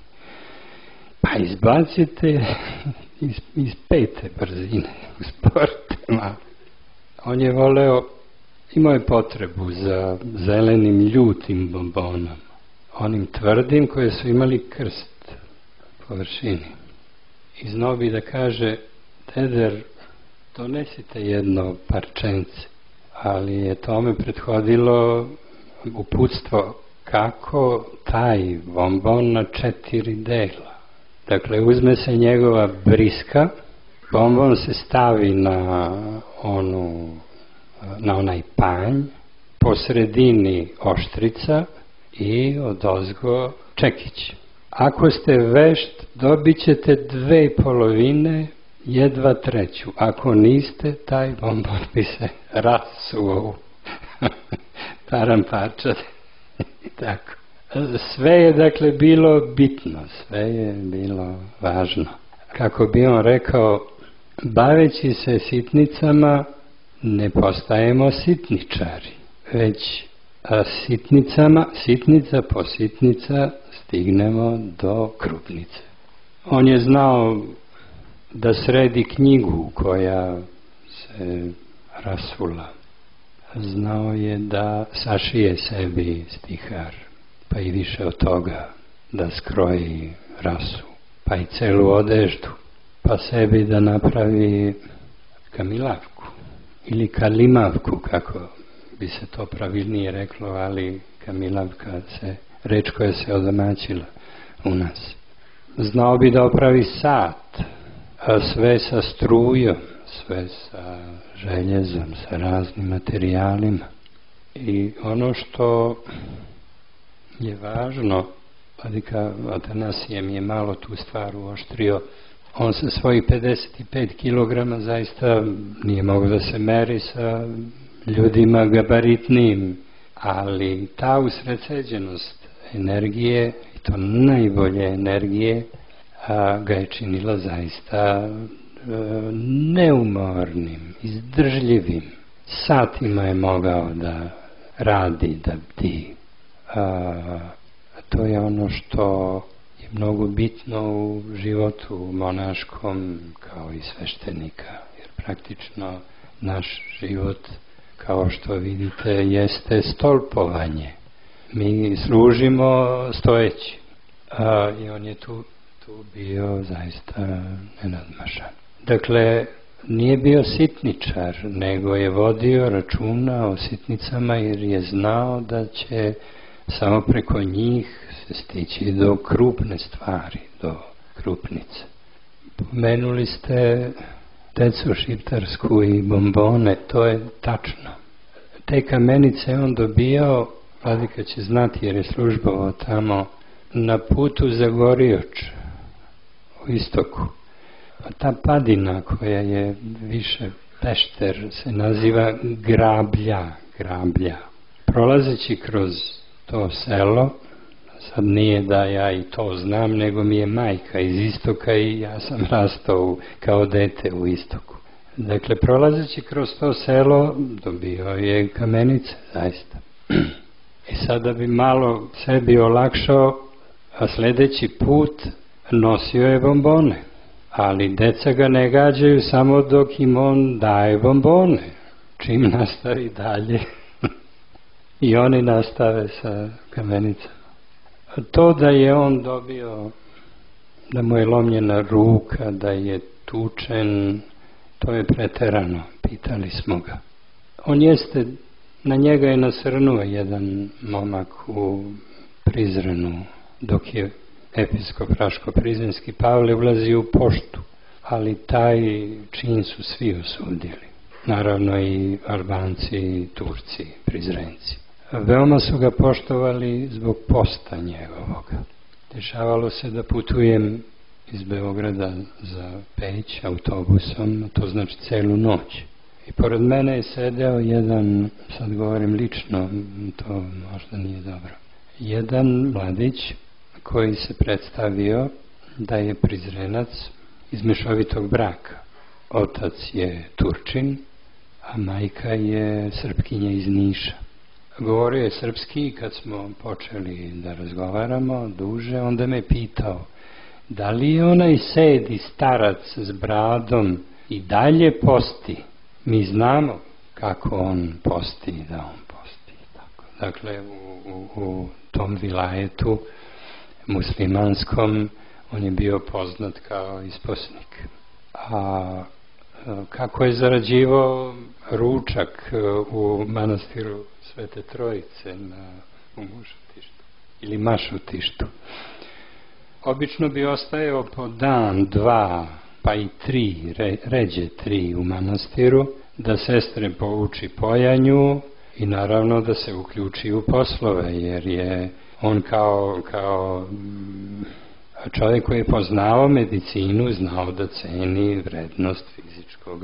pa izbacite iz, iz pete brzine, usporite malo. On je voleo, imao je potrebu za zelenim ljutim bombonom, onim tvrdim koje su imali krst po vršini. I znao bi da kaže: Teder, donesite jedno parčence. Ali je tome prethodilo uputstvo kako taj bombon na četiri dela. Dakle, uzme se njegova briska, bombon se stavi na onu, na onaj panj, po sredini oštrica i odozgo čekić. Ako ste vešt, dobit ćete dve polovine, jedva treću. Ako niste, taj bombon bi se rasuo taramparčad. Tako. Sve je dakle bilo bitno, sve je bilo važno. Kako bi on rekao, baveći se sitnicama ne postajemo sitničari, već a sitnicama, sitnica po sitnica stignemo do krupnice. On je znao da sredi knjigu koja se rasula. Znao je da sašije sebi stihar, pa i više od toga, da skroji rasu, pa i celu odeždu, pa sebi da napravi kamilavku ili kalimavku, kako bi se to pravilnije reklo, ali kamilavka se, reč koja se odomaćila u nas. Znao bi da opravi sat, a sve sa strujom, sve sa željezom, sa raznim materijalima. I ono što je važno, vladika Atanasije mi je malo tu stvar uoštrio, on sa svojih pedeset pet kilograma zaista nije mogao da se meri sa ljudima gabaritnim, ali ta usredsređenost energije, i to najbolje energije, a, ga je činila zaista a, neumornim, izdržljivim. Satima je mogao da radi, da bdi. A, to je ono što je mnogo bitno u životu monaškom kao i sveštenika, jer praktično naš život, kao što vidite, jeste stolpovanje. Mi služimo stojeći, a, i on je tu, tu bio zaista nenadmašan. Dakle, nije bio sitničar, nego je vodio računa o sitnicama, jer je znao da će samo preko njih se stići do krupne stvari, do krupnice. Pomenuli ste decu šiptarsku i bombone, to je tačno. Te kamenice on dobijao, vladika će znati jer je službovao tamo, na putu za Gorioč u istoku. A ta padina koja je više Pešter se naziva Grablja, Grablja. Prolazeći kroz to selo, sad nije da ja i to znam, nego mi je majka iz istoka i ja sam rastao kao dete u istoku. Dakle, prolazeći kroz to selo dobio je kamenice, zaista. I sada bi malo sebi olakšao, a sljedeći put nosio je bombone. Ali deca ga ne gađaju samo dok im on daje bombone. Čim nastavi dalje, i oni nastave sa kamenicama. To da je on dobio, da mu je lomljena ruka, da je tučen, to je preterano, pitali smo ga. On jeste Na njega je nasrnuo jedan momak u Prizrenu, dok je episkop Raško-Prizrenski Pavle ulazio u poštu, ali taj čin su svi osudili. Naravno i Albanci i Turci, Prizrenci. Veoma su ga poštovali zbog posta njegovoga. Dešavalo se da putujem iz Beograda za Peć autobusom, to znači celu noć. I pored mene je sedeo jedan, sad govorim lično, to možda nije dobro, jedan mladić koji se predstavio da je Prizrenac iz mešovitog braka. Otac je Turčin, a majka je Srpkinja iz Niša. Govorio je srpski i kad smo počeli da razgovaramo duže, onda me pitao da li je onaj sedi starac s bradom i dalje posti. Mi znamo kako on posti i da on posti. Tako. Dakle, u, u, u tom vilajetu muslimanskom on je bio poznat kao isposnik. A kako je zarađivao ručak u manastiru Svete Trojice na, u Mušutištu ili Mašutištu. Obično bi ostajao po dan, dva, pa i tri, re, ređe tri u manastiru, da sestre pouči pojanju i naravno da se uključi u poslove, jer je on kao, kao čovjek koji je poznao medicinu, znao da ceni vrednost fizičkog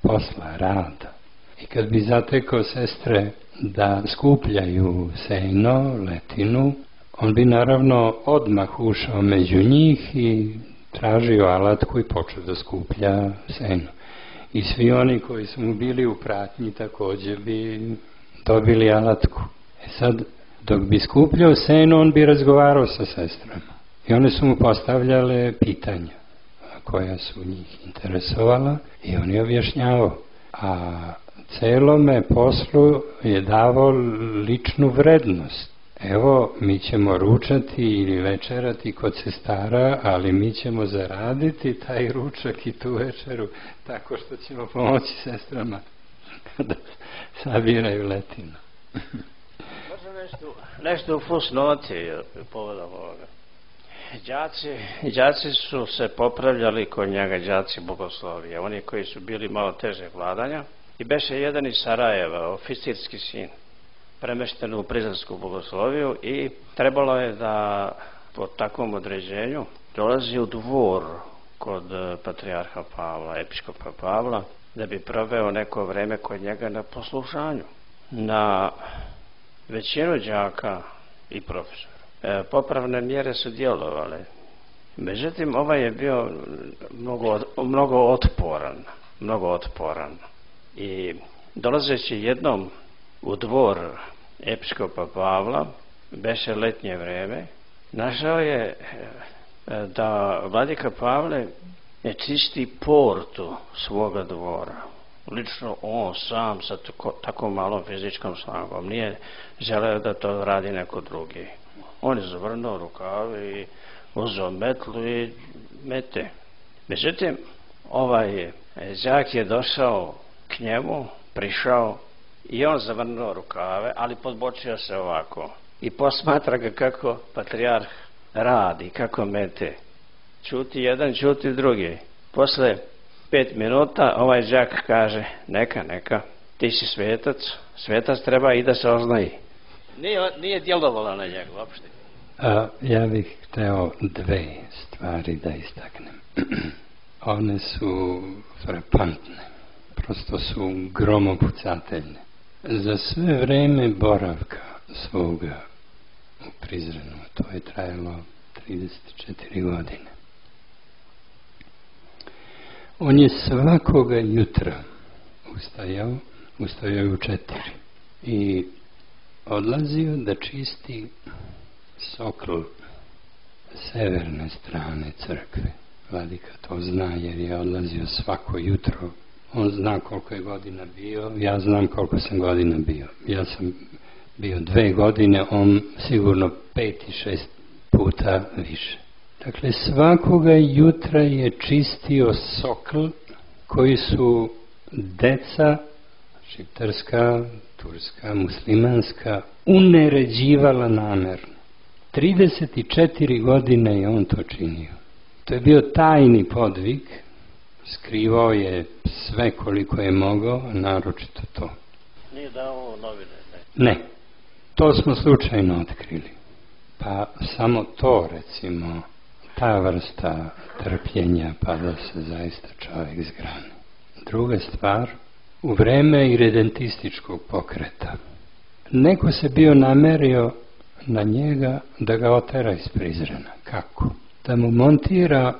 posla, rada. I kad bi zatekao sestre da skupljaju seno, letinu, on bi naravno odmah ušao među njih i tražio alatku i počeo da skuplja seno. I svi oni koji su mu bili u pratnji također bi dobili alatku. E sad, dok bi skupljao seno, on bi razgovarao sa sestrama. I one su mu postavljale pitanja koja su njih interesovala i on je objašnjavao. A celome poslu je davao ličnu vrednost. Evo, mi ćemo ručati ili večerati kod sestara, ali mi ćemo zaraditi taj ručak i tu večeru tako što ćemo pomoći sestrama da sabiraju letinu. Možda nešto, nešto u fusnoti povodom ovoga. Đaci, đaci su se popravljali kod njega, đaci bogoslovije, oni koji su bili malo teže vladanja. I beše jedan iz Sarajeva, oficirski sin, premešten u Prizrensku bogosloviju i trebalo je da po takvom određenju dolazi u dvor kod patrijarha Pavla, episkopa Pavla, da bi proveo neko vreme kod njega na poslušanju. Na većinu đaka i profesora e, popravne mjere su djelovale. Međutim, ovaj je bio mnogo, mnogo otporan, mnogo otporan. I dolazeći jednom u dvor episkopa Pavla, beše letnje vreme, našao je da vladika Pavle ne čisti portu svoga dvora. Lično on sam sa tako, tako malom fizičkom snagom nije želeo da to radi neko drugi. On je zavrnuo rukave i uzeo metlu i mete. Međutim, ovaj đak je došao k njemu, prišao i on zavrnuo rukave, ali podbočio se ovako i posmatra ga kako patrijarh radi, kako mete. Čuti jedan, čuti drugi. Posle pet minuta ovaj đak kaže, neka, neka, ti si svetac, svetac treba i da se oznaji. Nije, nije djelovalo na njega uopšte. A, ja bih hteo dve stvari da istaknem. One su frapantne, prosto su gromopucateljne. Za sve vreme boravka svoga u Prizrenu, to je trajalo trideset četiri godine, on je svakoga jutra ustajao, ustajao u četiri i odlazio da čisti sokol severne strane crkve. Vladika to zna jer je odlazio svako jutro. On zna koliko je godina bio, ja znam koliko sam godina bio. Ja sam bio dve godine, on sigurno pet i šest puta više. Dakle, svakoga jutra je čistio sokol koji su deca šiptarska, turska, muslimanska, uneređivala namerno. trideset četiri godine je on to činio. To je bio tajni podvig, skrivao je sve koliko je mogao, naročito to. Nije dao novine, ne? Ne, to smo slučajno otkrili. Pa samo to, recimo, ta vrsta trpljenja, pa da se zaista čovjek zgrani. Druga stvar, u vreme iredentističkog pokreta, neko se bio namerio na njega da ga otera iz Prizrena. Kako? Da mu montira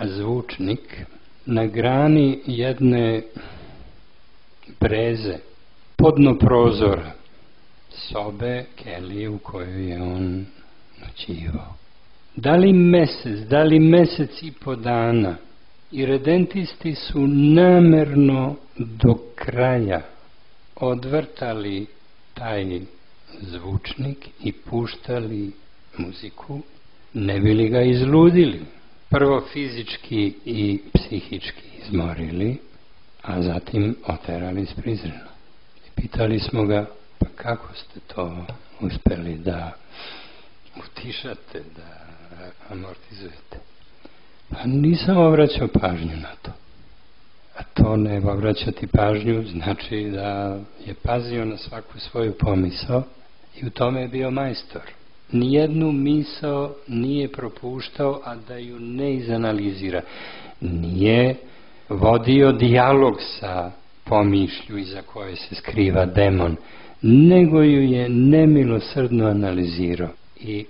zvučnik na grani jedne breze, podno prozora, sobe, kelije u kojoj je on noćivao. Da li mesec, da li mesec i po dana, iredentisti su namerno do kraja odvrtali taj zvučnik i puštali muziku, ne bi li ga izludili. Prvo fizički i psihički izmorili, a zatim oterali iz Prizrena. I pitali smo ga, pa kako ste to uspeli da utišate, da amortizujete? Pa nisam obraćao pažnju na to. A to ne obraćati pažnju znači da je pazio na svaku svoju pomisao i u tome je bio majstor. Nijednu misao nije propuštao, a da ju ne izanalizira. Nije vodio dijalog sa pomišlju iza koje se skriva demon, nego ju je nemilosrdno analizirao. I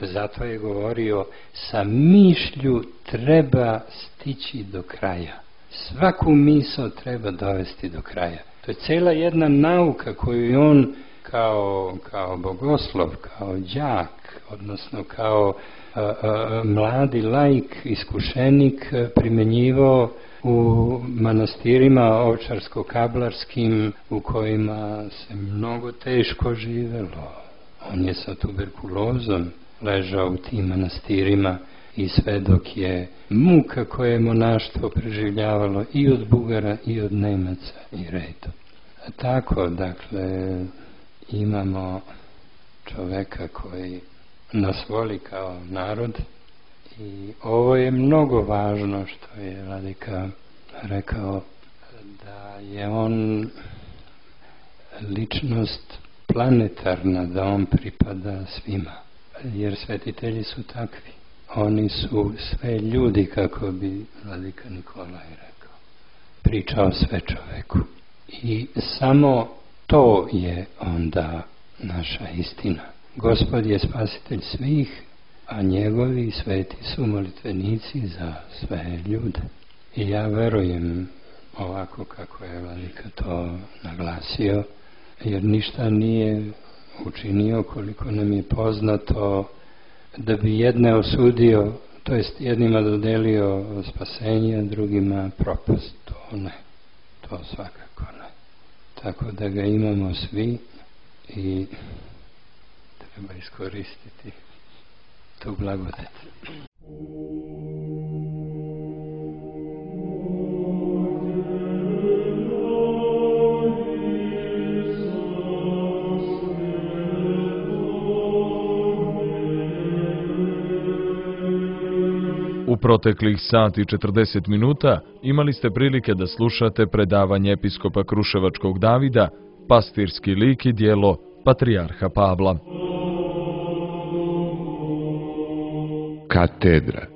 zato je govorio, sa mišlju treba stići do kraja. Svaku misao treba dovesti do kraja. To je cela jedna nauka koju je on kao, kao bogoslov, kao đak, odnosno kao a, a, mladi laik, iskušenik primenjivao u manastirima ovčarsko-kablarskim u kojima se mnogo teško živelo. On je sa tuberkulozom ležao u tim manastirima i sve dok je muka koje je monaštvo preživljavalo i od Bugara i od Nemaca i redom. A tako, dakle, imamo čoveka koji nas voli kao narod i ovo je mnogo važno što je Vladika rekao, da je on ličnost planetarna, da on pripada svima, jer svetitelji su takvi. Oni su sve ljudi, kako bi Vladika Nikolaj rekao. Pričao sve čoveku. I samo to je onda naša istina. Gospod je spasitelj svih, a njegovi sveti su molitvenici za sve ljude. I ja verujem ovako kako je Vladika to naglasio, jer ništa nije učinio, koliko nam je poznato, da bi jedne osudio, to jest jednima dodelio spasenje, drugima propast. To ne, to svakako ne. Tako da ga imamo svi i treba iskoristiti tu blagodat. U proteklih sat i četrdeset minuta imali ste prilike da slušate predavanje episkopa Kruševačkog Davida, pastirski lik i djelo Patrijarha Pavla. Katedra.